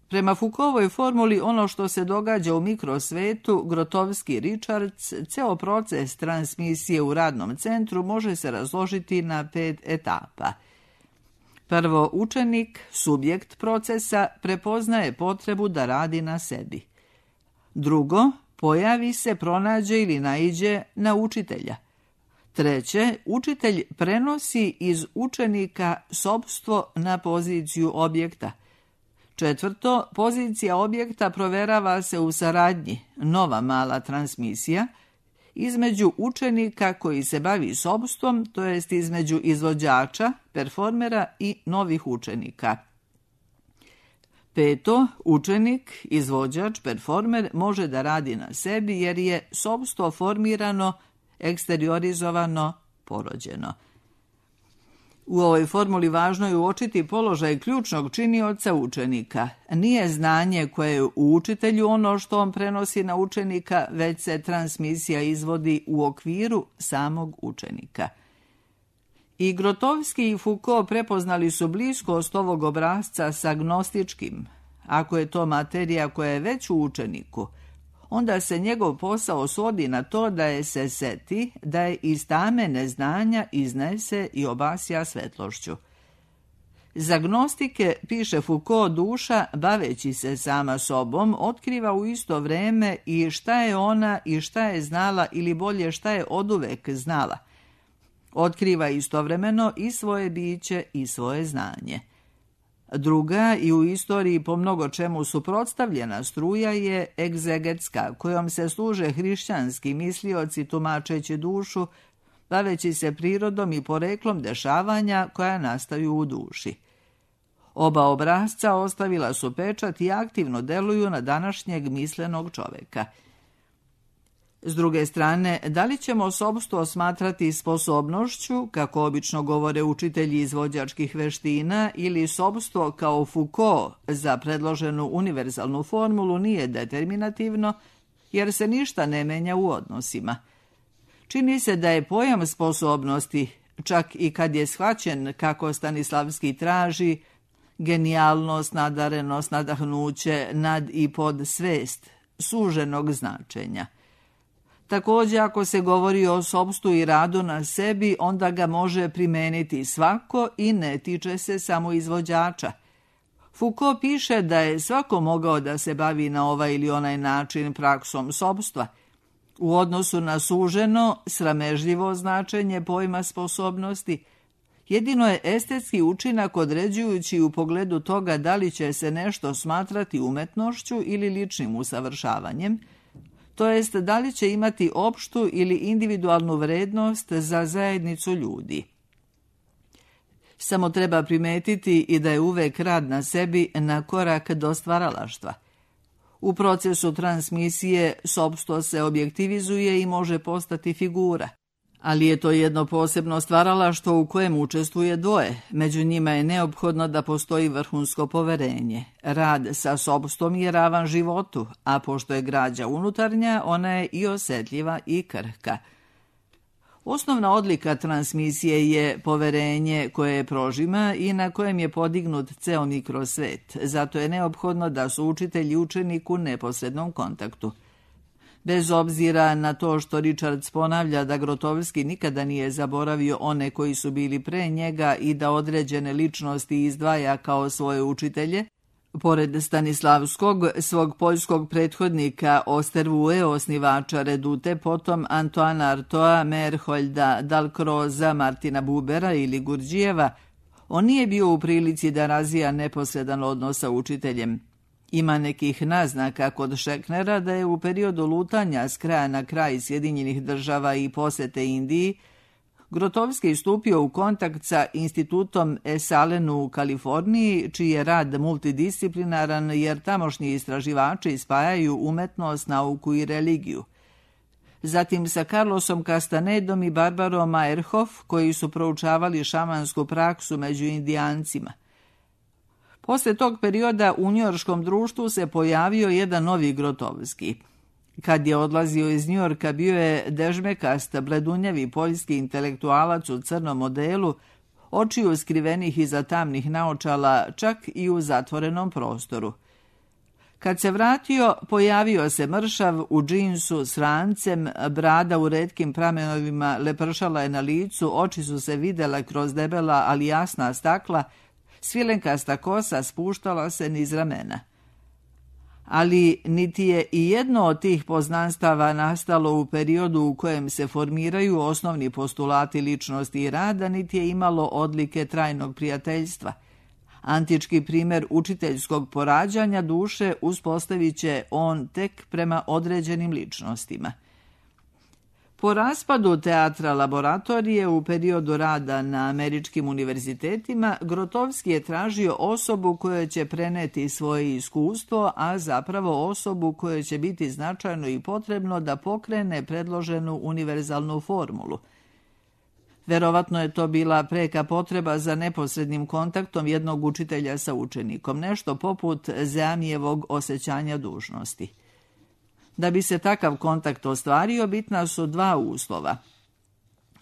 Prema Foucaultovoj formuli, ono što se događa u mikrosvetu, Grotowski Richards, ceo proces transmisije u radnom centru može se razložiti na 5 etapa. Prvo, učenik, subjekt procesa, prepoznaje potrebu da radi na sebi. Drugo, pojavi se, pronađe ili naiđe na učitelja. Treće, učitelj prenosi iz učenika sopstvo na poziciju objekta. Četvrto, pozicija objekta proverava se u saradnji, nova mala transmisija, između učenika koji se bavi sopstvom, to jest između izvođača, performera i novih učenika. Peto, učenik, izvođač, performer može da radi na sebi jer je sopstvo formirano, eksteriorizovano, porođeno. U ovoj formuli važno je uočiti položaj ključnog činioca učenika. Nije znanje koje je u učitelju ono što on prenosi na učenika, već se transmisija izvodi u okviru samog učenika. I Grotowski i Foucault prepoznali su bliskost ovog obrasca sa gnostičkim. Ako je to materija koja je već u učeniku, onda se njegov posao svodi na to da je se seti, da je iz tame neznanja iznese i obasja svetlošću. Za gnostike, piše Foucault, duša, baveći se sama sobom, otkriva u isto vreme i šta je ona i šta je znala, ili bolje šta je oduvek znala. Otkriva istovremeno i svoje biće i svoje znanje. Druga i u istoriji po mnogo čemu suprotstavljena struja je egzegetska, kojom se služe hrišćanski mislioci tumačeći dušu, baveći se prirodom i poreklom dešavanja koja nastaju u duši. Oba obrasca ostavila su pečat i aktivno deluju na današnjeg mislenog čoveka. S druge strane, da li ćemo sopstvo smatrati sposobnošću, kako obično govore učitelji izvođačkih veština, ili sopstvo kao Foucault za predloženu univerzalnu formulu nije determinativno, jer se ništa ne menja u odnosima. Čini se da je pojam sposobnosti, čak i kad je shvaćen kako Stanislavski traži, genijalnost, nadarenost, nadahnuće, nad i pod svest, suženog značenja. Također, ako se govori o sopstvu i radu na sebi, onda ga može primeniti svako i ne tiče se samo izvođača. Foucault piše da je svako mogao da se bavi na ovaj ili onaj način praksom sopstva. U odnosu na suženo, sramežljivo značenje pojma sposobnosti, jedino je estetski učinak određujući u pogledu toga da li će se nešto smatrati umetnošću ili ličnim usavršavanjem, to jest da li će imati opštu ili individualnu vrednost za zajednicu ljudi. Samo treba primetiti i da je uvek rad na sebi na korak do stvaralaštva. U procesu transmisije sopstvo se objektivizuje i može postati figura. Ali je to jedno posebno stvaralaštvo u kojem učestvuje dvoje. Među njima je neophodno da postoji vrhunsko poverenje. Rad sa sopstvom je ravan životu, a pošto je građa unutarnja, ona je i osjetljiva i krhka. Osnovna odlika transmisije je poverenje koje je prožima i na kojem je podignut ceo mikrosvet. Zato je neophodno da su učitelj i učenik u neposrednom kontaktu. Bez obzira na to što Richards ponavlja da Grotowski nikada nije zaboravio one koji su bili pre njega i da određene ličnosti izdvaja kao svoje učitelje, pored Stanislavskog, svog poljskog prethodnika Ostervue, osnivača Redute, potom Antoana Artoa, Merholda, Dalcroza, Martina Bubera ili Gurdjijeva, on nije bio u prilici da razvija neposredan odnos sa učiteljem. Ima nekih naznaka kod Šeknera da je u periodu lutanja s kraja na kraj Sjedinjenih Država i posete Indiji Grotowski stupio u kontakt sa institutom Esalenu u Kaliforniji, čiji je rad multidisciplinaran jer tamošnji istraživači spajaju umetnost, nauku i religiju. Zatim sa Carlosom Castanedom i Barbarom Meyerhoff, koji su proučavali šamansku praksu među Indijancima. Posle tog perioda u njujorškom društvu se pojavio jedan novi Grotowski. Kad je odlazio iz Njujorka, bio je dežmekast, bledunjavi poljski intelektualac u crnom modelu, očiju skrivenih iza tamnih naočala, čak i u zatvorenom prostoru. Kad se vratio, pojavio se mršav u džinsu s rancem, brada u retkim pramenovima lepršala je na licu, oči su se vidjela kroz debela, ali jasna stakla, svilenkasta kosa spuštala se niz ramena. Ali niti je i jedno od tih poznanstava nastalo u periodu u kojem se formiraju osnovni postulati ličnosti i rada, niti je imalo odlike trajnog prijateljstva. Antički primjer učiteljskog porađanja duše uspostavit će on tek prema određenim ličnostima. Po raspadu teatra laboratorije u periodu rada na američkim univerzitetima, Grotowski je tražio osobu koja će preneti svoje iskustvo, a zapravo osobu kojoj će biti značajno i potrebno da pokrene predloženu univerzalnu formulu. Verovatno je to bila preka potreba za neposrednim kontaktom jednog učitelja sa učenikom, nešto poput Zeamijevog osjećanja dužnosti. Da bi se takav kontakt ostvario, bitna su dva uslova.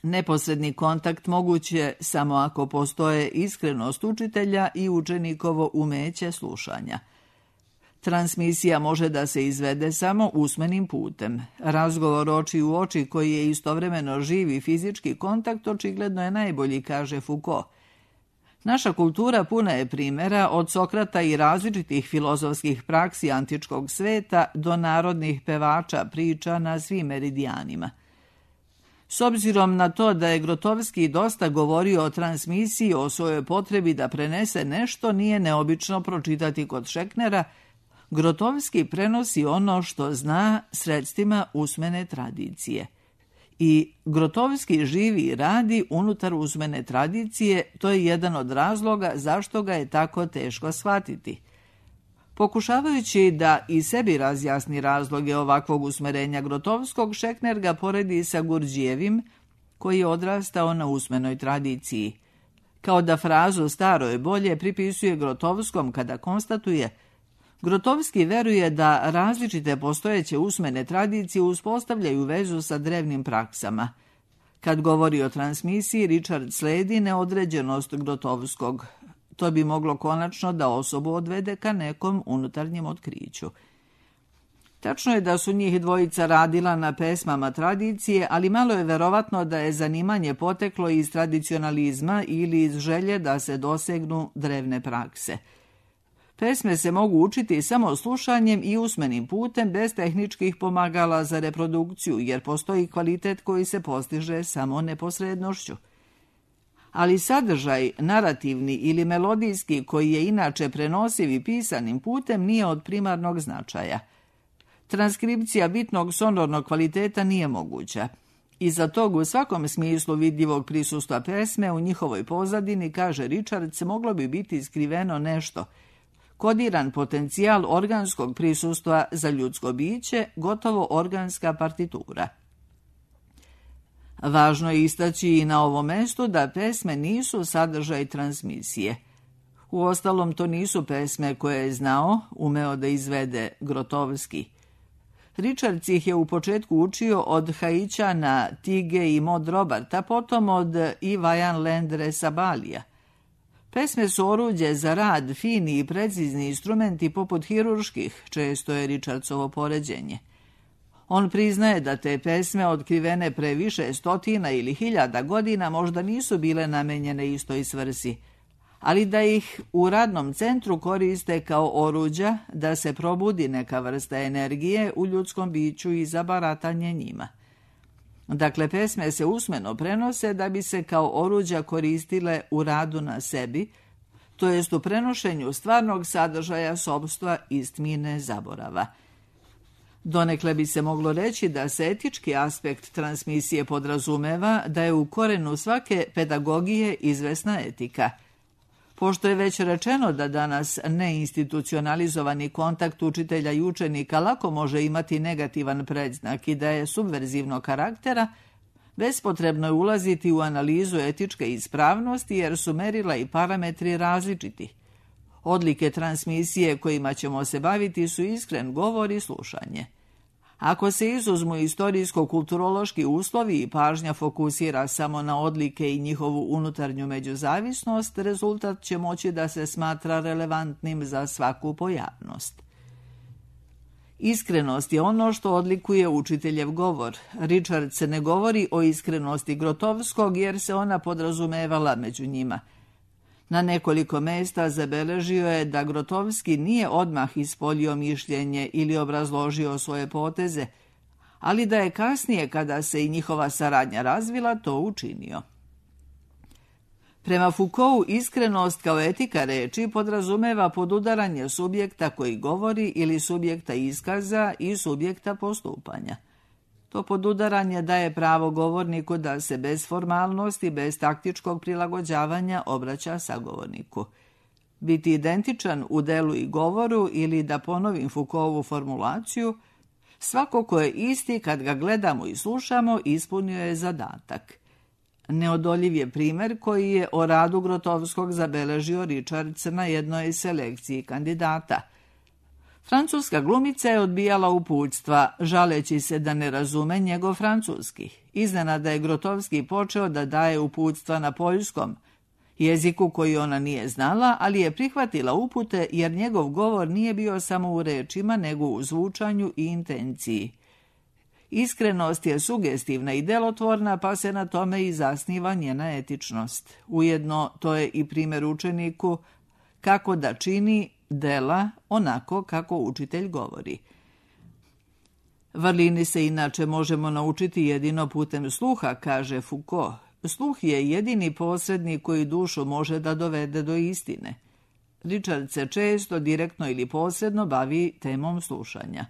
Neposredni kontakt moguć je samo ako postoje iskrenost učitelja i učenikovo umeće slušanja. Transmisija može da se izvede samo usmenim putem. Razgovor oči u oči koji je istovremeno živi fizički kontakt očigledno je najbolji, kaže Foucault. Naša kultura puna je primjera od Sokrata i različitih filozofskih praksi antičkog sveta do narodnih pevača priča na svim meridijanima. S obzirom na to da je Grotowski dosta govorio o transmisiji, o svojoj potrebi da prenese nešto, nije neobično pročitati kod Šeknera. Grotowski prenosi ono što zna sredstvima usmene tradicije. I Grotowski živi i radi unutar usmene tradicije, to je jedan od razloga zašto ga je tako teško shvatiti. Pokušavajući da i sebi razjasni razloge ovakvog usmerenja Grotowskog, Šekner ga poredi sa Gurdjijevim, koji je odrastao na usmenoj tradiciji. Kao da frazu staro je bolje pripisuje Grotowskom kada konstatuje: Grotowski veruje da različite postojeće usmene tradicije uspostavljaju vezu sa drevnim praksama. Kad govori o transmisiji, Richard sledi neodređenost Grotowskog. To bi moglo konačno da osobu odvede ka nekom unutarnjem otkriću. Tačno je da su njih dvojica radila na pesmama tradicije, ali malo je verovatno da je zanimanje poteklo iz tradicionalizma ili iz želje da se dosegnu drevne prakse. Pesme se mogu učiti samo slušanjem i usmenim putem bez tehničkih pomagala za reprodukciju, jer postoji kvalitet koji se postiže samo neposrednošću. Ali sadržaj, narativni ili melodijski, koji je inače prenosiv i pisanim putem, nije od primarnog značaja. Transkripcija bitnog sonornog kvaliteta nije moguća. Iza tog u svakom smislu vidljivog prisustva pesme u njihovoj pozadini, kaže Richards, moglo bi biti skriveno nešto, kodiran potencijal organskog prisustva za ljudsko biće, gotovo organska partitura. Važno je istaći i na ovom mestu da pesme nisu sadržaj transmisije. Uostalom, to nisu pesme koje je znao, umeo da izvede Grotowski. Richards ih je u početku učio od Haićana, Tige i Maud Roberta, potom od Ivajan Lendre Sabalija. Pesme su oruđe za rad, fini i precizni instrumenti poput hirurških, često je Richardsovo poređenje. On priznaje da te pesme, otkrivene pre više stotina ili hiljada godina, možda nisu bile namenjene istoj svrsi, ali da ih u radnom centru koriste kao oruđa da se probudi neka vrsta energije u ljudskom biću i za baratanje njima. Dakle, pesme se usmeno prenose da bi se kao oruđa koristile u radu na sebi, to jest u prenošenju stvarnog sadržaja sopstva iz tmine zaborava. Donekle bi se moglo reći da se etički aspekt transmisije podrazumeva da je u korenu svake pedagogije izvesna etika. Pošto je već rečeno da danas neinstitucionalizovani kontakt učitelja i učenika lako može imati negativan predznak i da je subverzivnog karaktera, bespotrebno je ulaziti u analizu etičke ispravnosti jer su merila i parametri različiti. Odlike transmisije kojima ćemo se baviti su iskren govor i slušanje. Ako se izuzmu istorijsko-kulturološki uslovi i pažnja fokusira samo na odlike i njihovu unutarnju međuzavisnost, rezultat će moći da se smatra relevantnim za svaku pojavnost. Iskrenost je ono što odlikuje učiteljev govor. Richards ne govori o iskrenosti Grotovskog jer se ona podrazumevala među njima. Na nekoliko mesta zabeležio je da Grotovski nije odmah ispoljio mišljenje ili obrazložio svoje poteze, ali da je kasnije, kada se i njihova saradnja razvila, to učinio. Prema Foucaultu, iskrenost kao etika reči podrazumeva podudaranje subjekta koji govori ili subjekta iskaza i subjekta postupanja. To podudaranje daje pravo govorniku da se bez formalnosti, bez taktičkog prilagođavanja obraća sagovorniku. Biti identičan u delu i govoru ili, da ponovim Foucaultovu formulaciju, svako ko je isti kad ga gledamo i slušamo ispunio je zadatak. Neodoljiv je primjer koji je o radu Grotovskog zabeležio Richards na jednoj selekciji kandidata. Francuska glumica je odbijala uputstva, žaleći se da ne razume njegov francuski. Iznenada je Grotovski počeo da daje uputstva na poljskom, jeziku koji ona nije znala, ali je prihvatila upute jer njegov govor nije bio samo u rečima, nego u zvučanju i intenciji. Iskrenost je sugestivna i delotvorna, pa se na tome i zasniva njena etičnost. Ujedno, to je i primjer učeniku kako da čini dela onako kako učitelj govori. Vrlini se inače možemo naučiti jedino putem sluha, kaže Foucault. Sluh je jedini posrednik koji dušu može da dovede do istine. Richard se često, direktno ili posredno, bavi temom slušanja.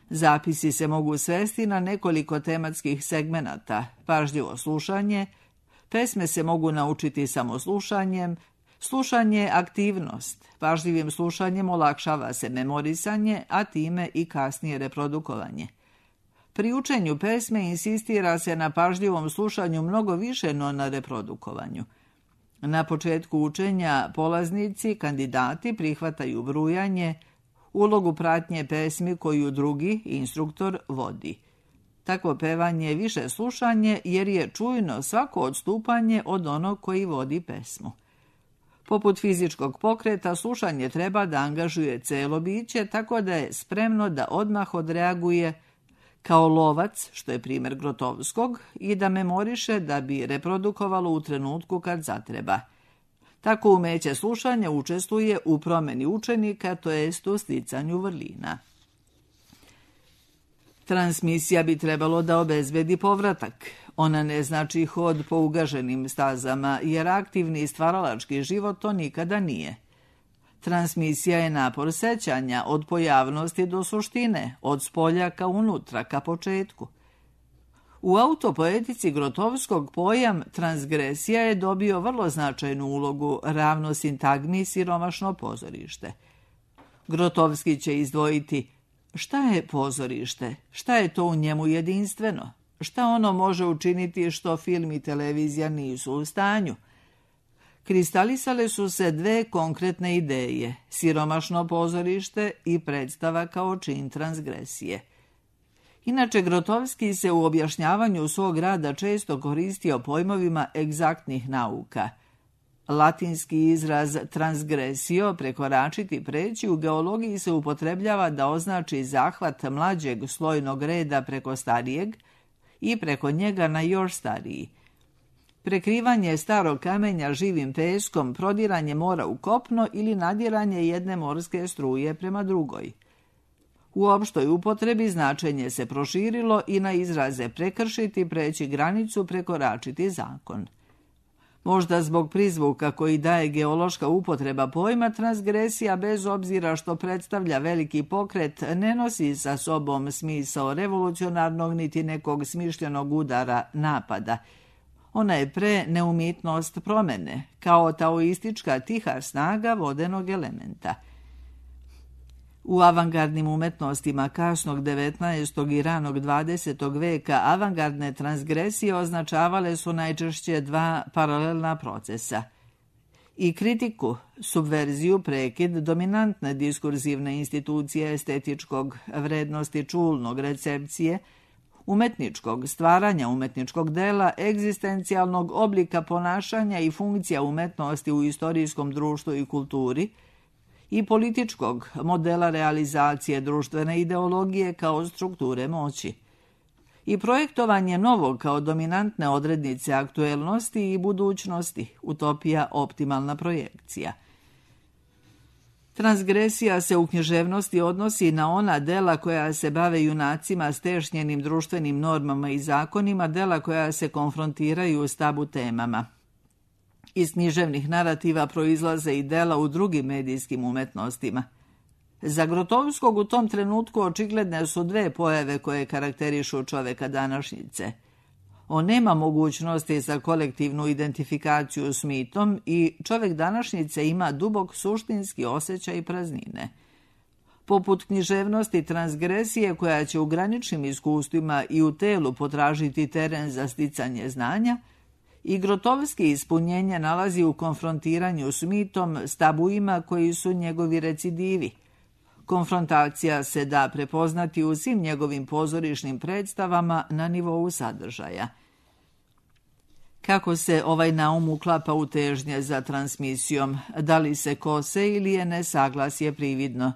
Zapisi se mogu svesti na nekoliko tematskih segmenata: pažljivo slušanje, pesme se mogu naučiti samo slušanjem, slušanje aktivnost, pažljivim slušanjem olakšava se memorisanje, a time i kasnije reprodukovanje. Pri učenju pesme insistira se na pažljivom slušanju mnogo više no na reprodukovanju. Na početku učenja polaznici, kandidati prihvataju brujanje, ulogu pratnje pesmi koju drugi, instruktor, vodi. Takvo pevanje je više slušanje jer je čujno svako odstupanje od onog koji vodi pesmu. Poput fizičkog pokreta, slušanje treba da angažuje celo biće, tako da je spremno da odmah odreaguje kao lovac, što je primjer Grotovskog, i da memoriše da bi reprodukovalo u trenutku kad zatreba. Tako umeće slušanja učestvuje u promeni učenika, to jest u sticanju vrlina. Transmisija bi trebalo da obezbedi povratak. Ona ne znači hod po ugaženim stazama, jer aktivni i stvaralački život to nikada nije. Transmisija je napor sećanja od pojavnosti do suštine, od spolja ka unutra, ka početku. U autopoetici Grotovskog pojam transgresija je dobio vrlo značajnu ulogu, ravno sintagmi siromašno pozorište. Grotovski će izdvojiti šta je pozorište, šta je to u njemu jedinstveno, šta ono može učiniti što film i televizija nisu u stanju. Kristalisale su se dve konkretne ideje, siromašno pozorište i predstava kao čin transgresije. Inače, Grotovski se u objašnjavanju svog rada često koristio pojmovima egzaktnih nauka. Latinski izraz transgresio, prekoračiti, preći, u geologiji se upotrebljava da označi zahvat mlađeg slojnog reda preko starijeg i preko njega na još stariji. Prekrivanje starog kamenja živim peskom, prodiranje mora u kopno ili nadiranje jedne morske struje prema drugoj. U opštoj upotrebi značenje se proširilo i na izraze prekršiti, preći granicu, prekoračiti zakon. Možda zbog prizvuka koji daje geološka upotreba pojma, transgresija, bez obzira što predstavlja veliki pokret, ne nosi sa sobom smisao revolucionarnog niti nekog smišljenog udara napada. Ona je pre neumitnost promene, kao taoistička tiha snaga vodenog elementa. U avangardnim umetnostima kasnog 19. i ranog 20. veka avangardne transgresije označavale su najčešće dva paralelna procesa. I kritiku, subverziju, prekid dominantne diskurzivne institucije estetičkog, vrednosti čulnog, recepcije, umetničkog stvaranja umetničkog dela, egzistencijalnog oblika ponašanja i funkcija umetnosti u istorijskom društvu i kulturi, i političkog modela realizacije društvene ideologije kao strukture moći. I projektovanje novog kao dominantne odrednice aktuelnosti i budućnosti, utopija, optimalna projekcija. Transgresija se u književnosti odnosi na ona dela koja se bave junacima stešnjenim društvenim normama i zakonima, dela koja se konfrontiraju s tabu temama. Iz književnih narativa proizlaze i dela u drugim medijskim umetnostima. Za Grotovskog u tom trenutku očigledne su dve pojave koje karakterišu čoveka današnjice. On nema mogućnosti za kolektivnu identifikaciju s mitom i čovek današnjice ima dubok suštinski osjećaj praznine. Poput književnosti transgresije koja će u graničnim iskustvima i u telu potražiti teren za sticanje znanja, i Grotovski ispunjenje nalazi u konfrontiranju s mitom, s tabuima koji su njegovi recidivi. Konfrontacija se da prepoznati u svim njegovim pozorišnim predstavama na nivou sadržaja. Kako se ovaj naum uklapa u težnje za transmisijom? Da li se kose ili je nesaglasje prividno?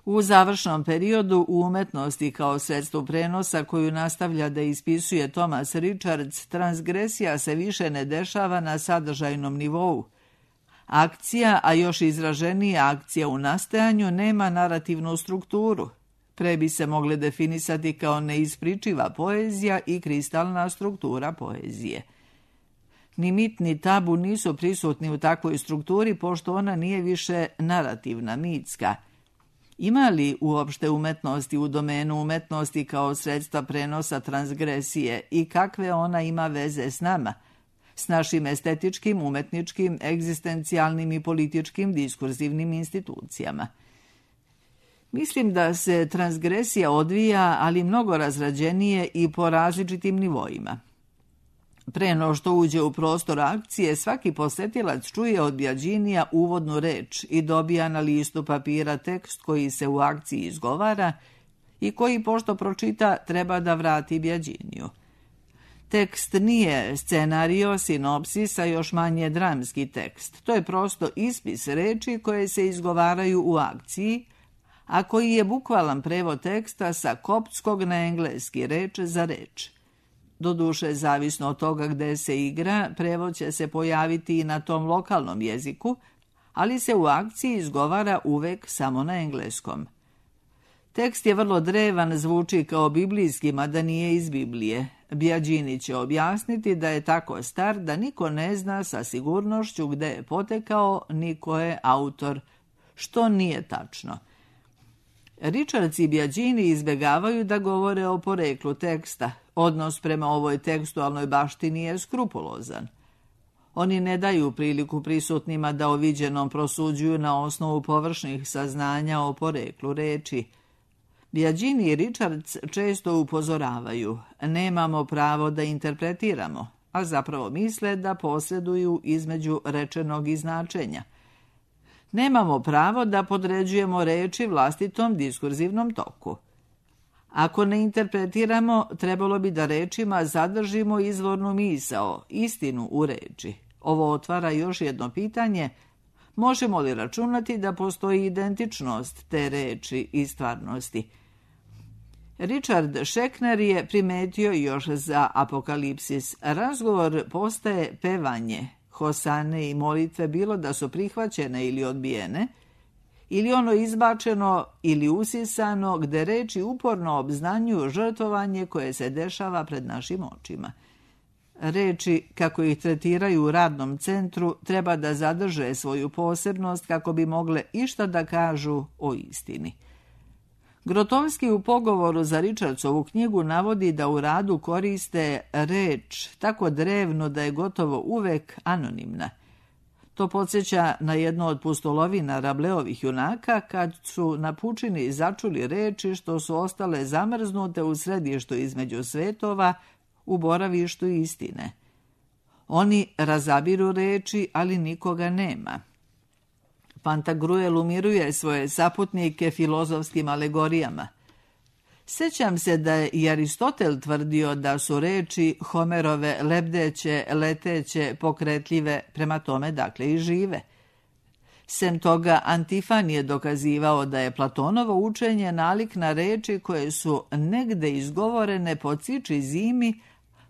U završnom periodu u umetnosti kao sredstvu prenosa koju nastavlja da ispisuje Thomas Richards, transgresija se više ne dešava na sadržajnom nivou. Akcija, a još izraženija akcija u nastajanju, nema narativnu strukturu. Pre bi se mogle definisati kao neispričiva poezija i kristalna struktura poezije. Ni mit ni tabu nisu prisutni u takvoj strukturi, pošto ona nije više narativna, mitska. Ima li uopšte umetnosti u domenu umetnosti kao sredstva prenosa transgresije i kakve ona ima veze s nama, s našim estetičkim, umetničkim, egzistencijalnim i političkim diskurzivnim institucijama? Mislim da se transgresija odvija, ali mnogo razrađenije i po različitim nivoima. Pre no što uđe u prostor akcije, svaki posetilac čuje od Biaginija uvodnu reč i dobija na listu papira tekst koji se u akciji izgovara i koji, pošto pročita, treba da vrati Biaginiju. Tekst nije scenario, sinopsis, a još manje dramski tekst. To je prosto ispis reči koje se izgovaraju u akciji, a koji je bukvalan prevod teksta sa koptskog na engleski, reč za reč. Doduše, zavisno od toga gde se igra, prevod će se pojaviti i na tom lokalnom jeziku, ali se u akciji izgovara uvek samo na engleskom. Tekst je vrlo drevan, zvuči kao biblijski, mada nije iz Biblije. Biagini će objasniti da je tako star da niko ne zna sa sigurnošću gde je potekao, ni ko je autor, što nije tačno. Richards i Biagini izbegavaju da govore o poreklu teksta. Odnos prema ovoj tekstualnoj baštini je skrupulozan. Oni ne daju priliku prisutnima da o viđenom prosuđuju na osnovu površnih saznanja o poreklu reči. Biagini i Richards često upozoravaju, nemamo pravo da interpretiramo, a zapravo misle da posreduju između rečenog i značenja. Nemamo pravo da podređujemo reči vlastitom diskurzivnom toku. Ako ne interpretiramo, trebalo bi da rečima zadržimo izvornu misao, istinu u reči. Ovo otvara još jedno pitanje, možemo li računati da postoji identičnost te reči i stvarnosti? Richard Schechner je primetio još za Apokalipsis. Razgovor postaje pevanje, hosane i molitve, bilo da su prihvaćene ili odbijene, ili ono izbačeno ili usisano, gde reči uporno obznanjuju žrtvovanje koje se dešava pred našim očima. Reči, kako ih tretiraju u radnom centru, treba da zadrže svoju posebnost kako bi mogle išta da kažu o istini. Grotowski u pogovoru za Richardsovu knjigu navodi da u radu koriste reč tako drevno da je gotovo uvek anonimna. To podsjeća na jednu od pustolovina Rableovih junaka kad su na pučini začuli reči što su ostale zamrznute u središtu između svetova, u boravištu istine. Oni razabiru reči, ali nikoga nema. Pantagruel umiruje svoje saputnike filozofskim alegorijama. Sećam se da je i Aristotel tvrdio da su reči Homerove lebdeće, leteće, pokretljive, prema tome dakle i žive. Sem toga, Antifan je dokazivao da je Platonovo učenje nalik na reči koje su negde izgovorene po ciči zimi,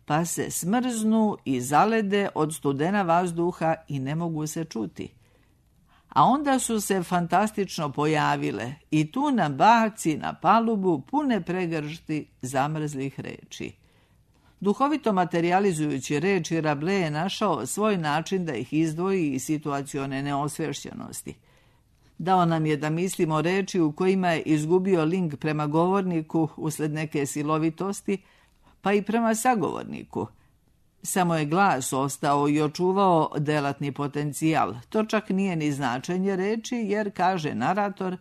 pa se smrznu i zalede od studena vazduha i ne mogu se čuti. A onda su se fantastično pojavile i tu nam baci na palubu pune pregršti zamrzlih reči. Duhovito materializujući reči, Rabelais je našao svoj način da ih izdvoji iz situacione neosvešćenosti. Dao nam je da mislimo reči u kojima je izgubio link prema govorniku usled neke silovitosti, pa i prema sagovorniku. Samo je glas ostao i očuvao delatni potencijal. To čak nije ni značenje reči, jer, kaže narator,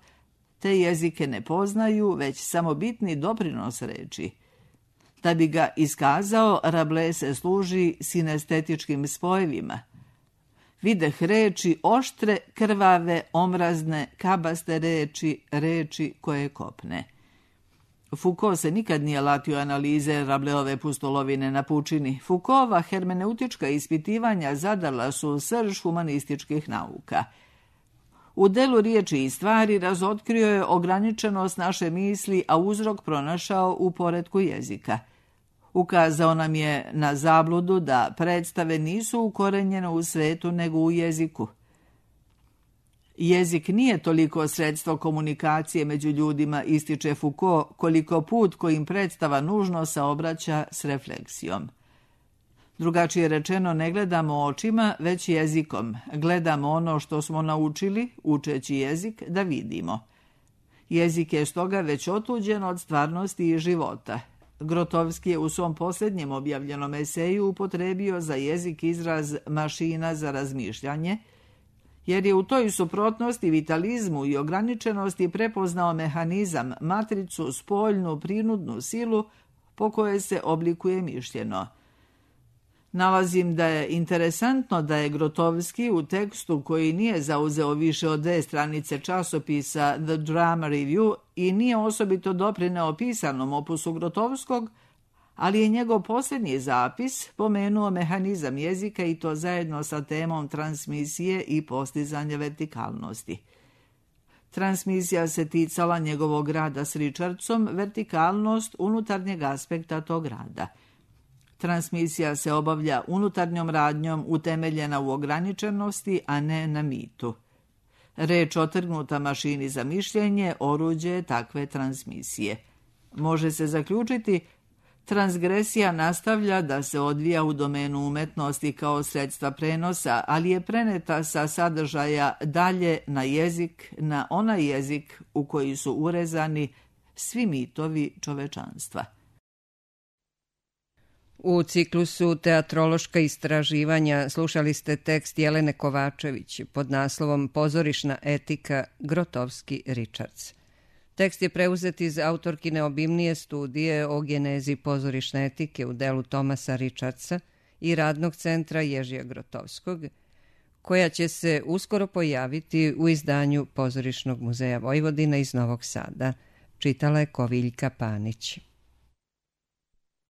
te jezike ne poznaju, već samo bitni doprinos reči. Da bi ga iskazao, Rabelais se služi sinestetičkim spojevima. Videh reči oštre, krvave, omrazne, kabaste reči, reči koje kopne. Foucault se nikad nije latio analize Rabeleove pustolovine na pučini. Foucaultova hermeneutička ispitivanja zadala su srž humanističkih nauka. U delu riječi i stvari razotkrio je ograničenost naše misli, a uzrok pronašao u poretku jezika. Ukazao nam je na zabludu da predstave nisu ukorenjene u svetu nego u jeziku. Jezik nije toliko sredstvo komunikacije među ljudima, ističe Foucault, koliko put kojim predstava nužno saobraća s refleksijom. Drugačije rečeno, ne gledamo očima, već jezikom. Gledamo ono što smo naučili, učeći jezik, da vidimo. Jezik je stoga već otuđen od stvarnosti i života. Grotowski je u svom posljednjem objavljenom eseju upotrebio za jezik izraz mašina za razmišljanje, jer je u toj suprotnosti, vitalizmu i ograničenosti prepoznao mehanizam, matricu, spoljnu, prinudnu silu po kojoj se oblikuje mišljeno. Nalazim da je interesantno da je Grotowski u tekstu koji nije zauzeo više od 2 stranice časopisa The Drama Review i nije osobito doprineo pisanom opusu Grotowskog, ali je njegov posljednji zapis pomenuo mehanizam jezika i to zajedno sa temom transmisije i postizanja vertikalnosti. Transmisija se ticala njegovog rada s Richardsom, vertikalnost unutarnjeg aspekta tog rada. Transmisija se obavlja unutarnjom radnjom utemeljena u ograničenosti, a ne na mitu. Reč otrgnuta mašini za mišljenje oruđe je takve transmisije. Može se zaključiti, transgresija nastavlja da se odvija u domenu umetnosti kao sredstva prenosa, ali je preneta sa sadržaja dalje na jezik, na onaj jezik u koji su urezani svi mitovi čovečanstva. U ciklusu Teatrološka istraživanja slušali ste tekst Jelene Kovačević pod naslovom Pozorišna etika Grotowski-Richards. Tekst je preuzet iz autorkine obimnije studije o genezi pozorišne etike u delu Thomasa Richardsa i radnog centra Ježija Grotowskog, koja će se uskoro pojaviti u izdanju Pozorišnog muzeja Vojvodine iz Novog Sada. Čitala je Koviljka Panić.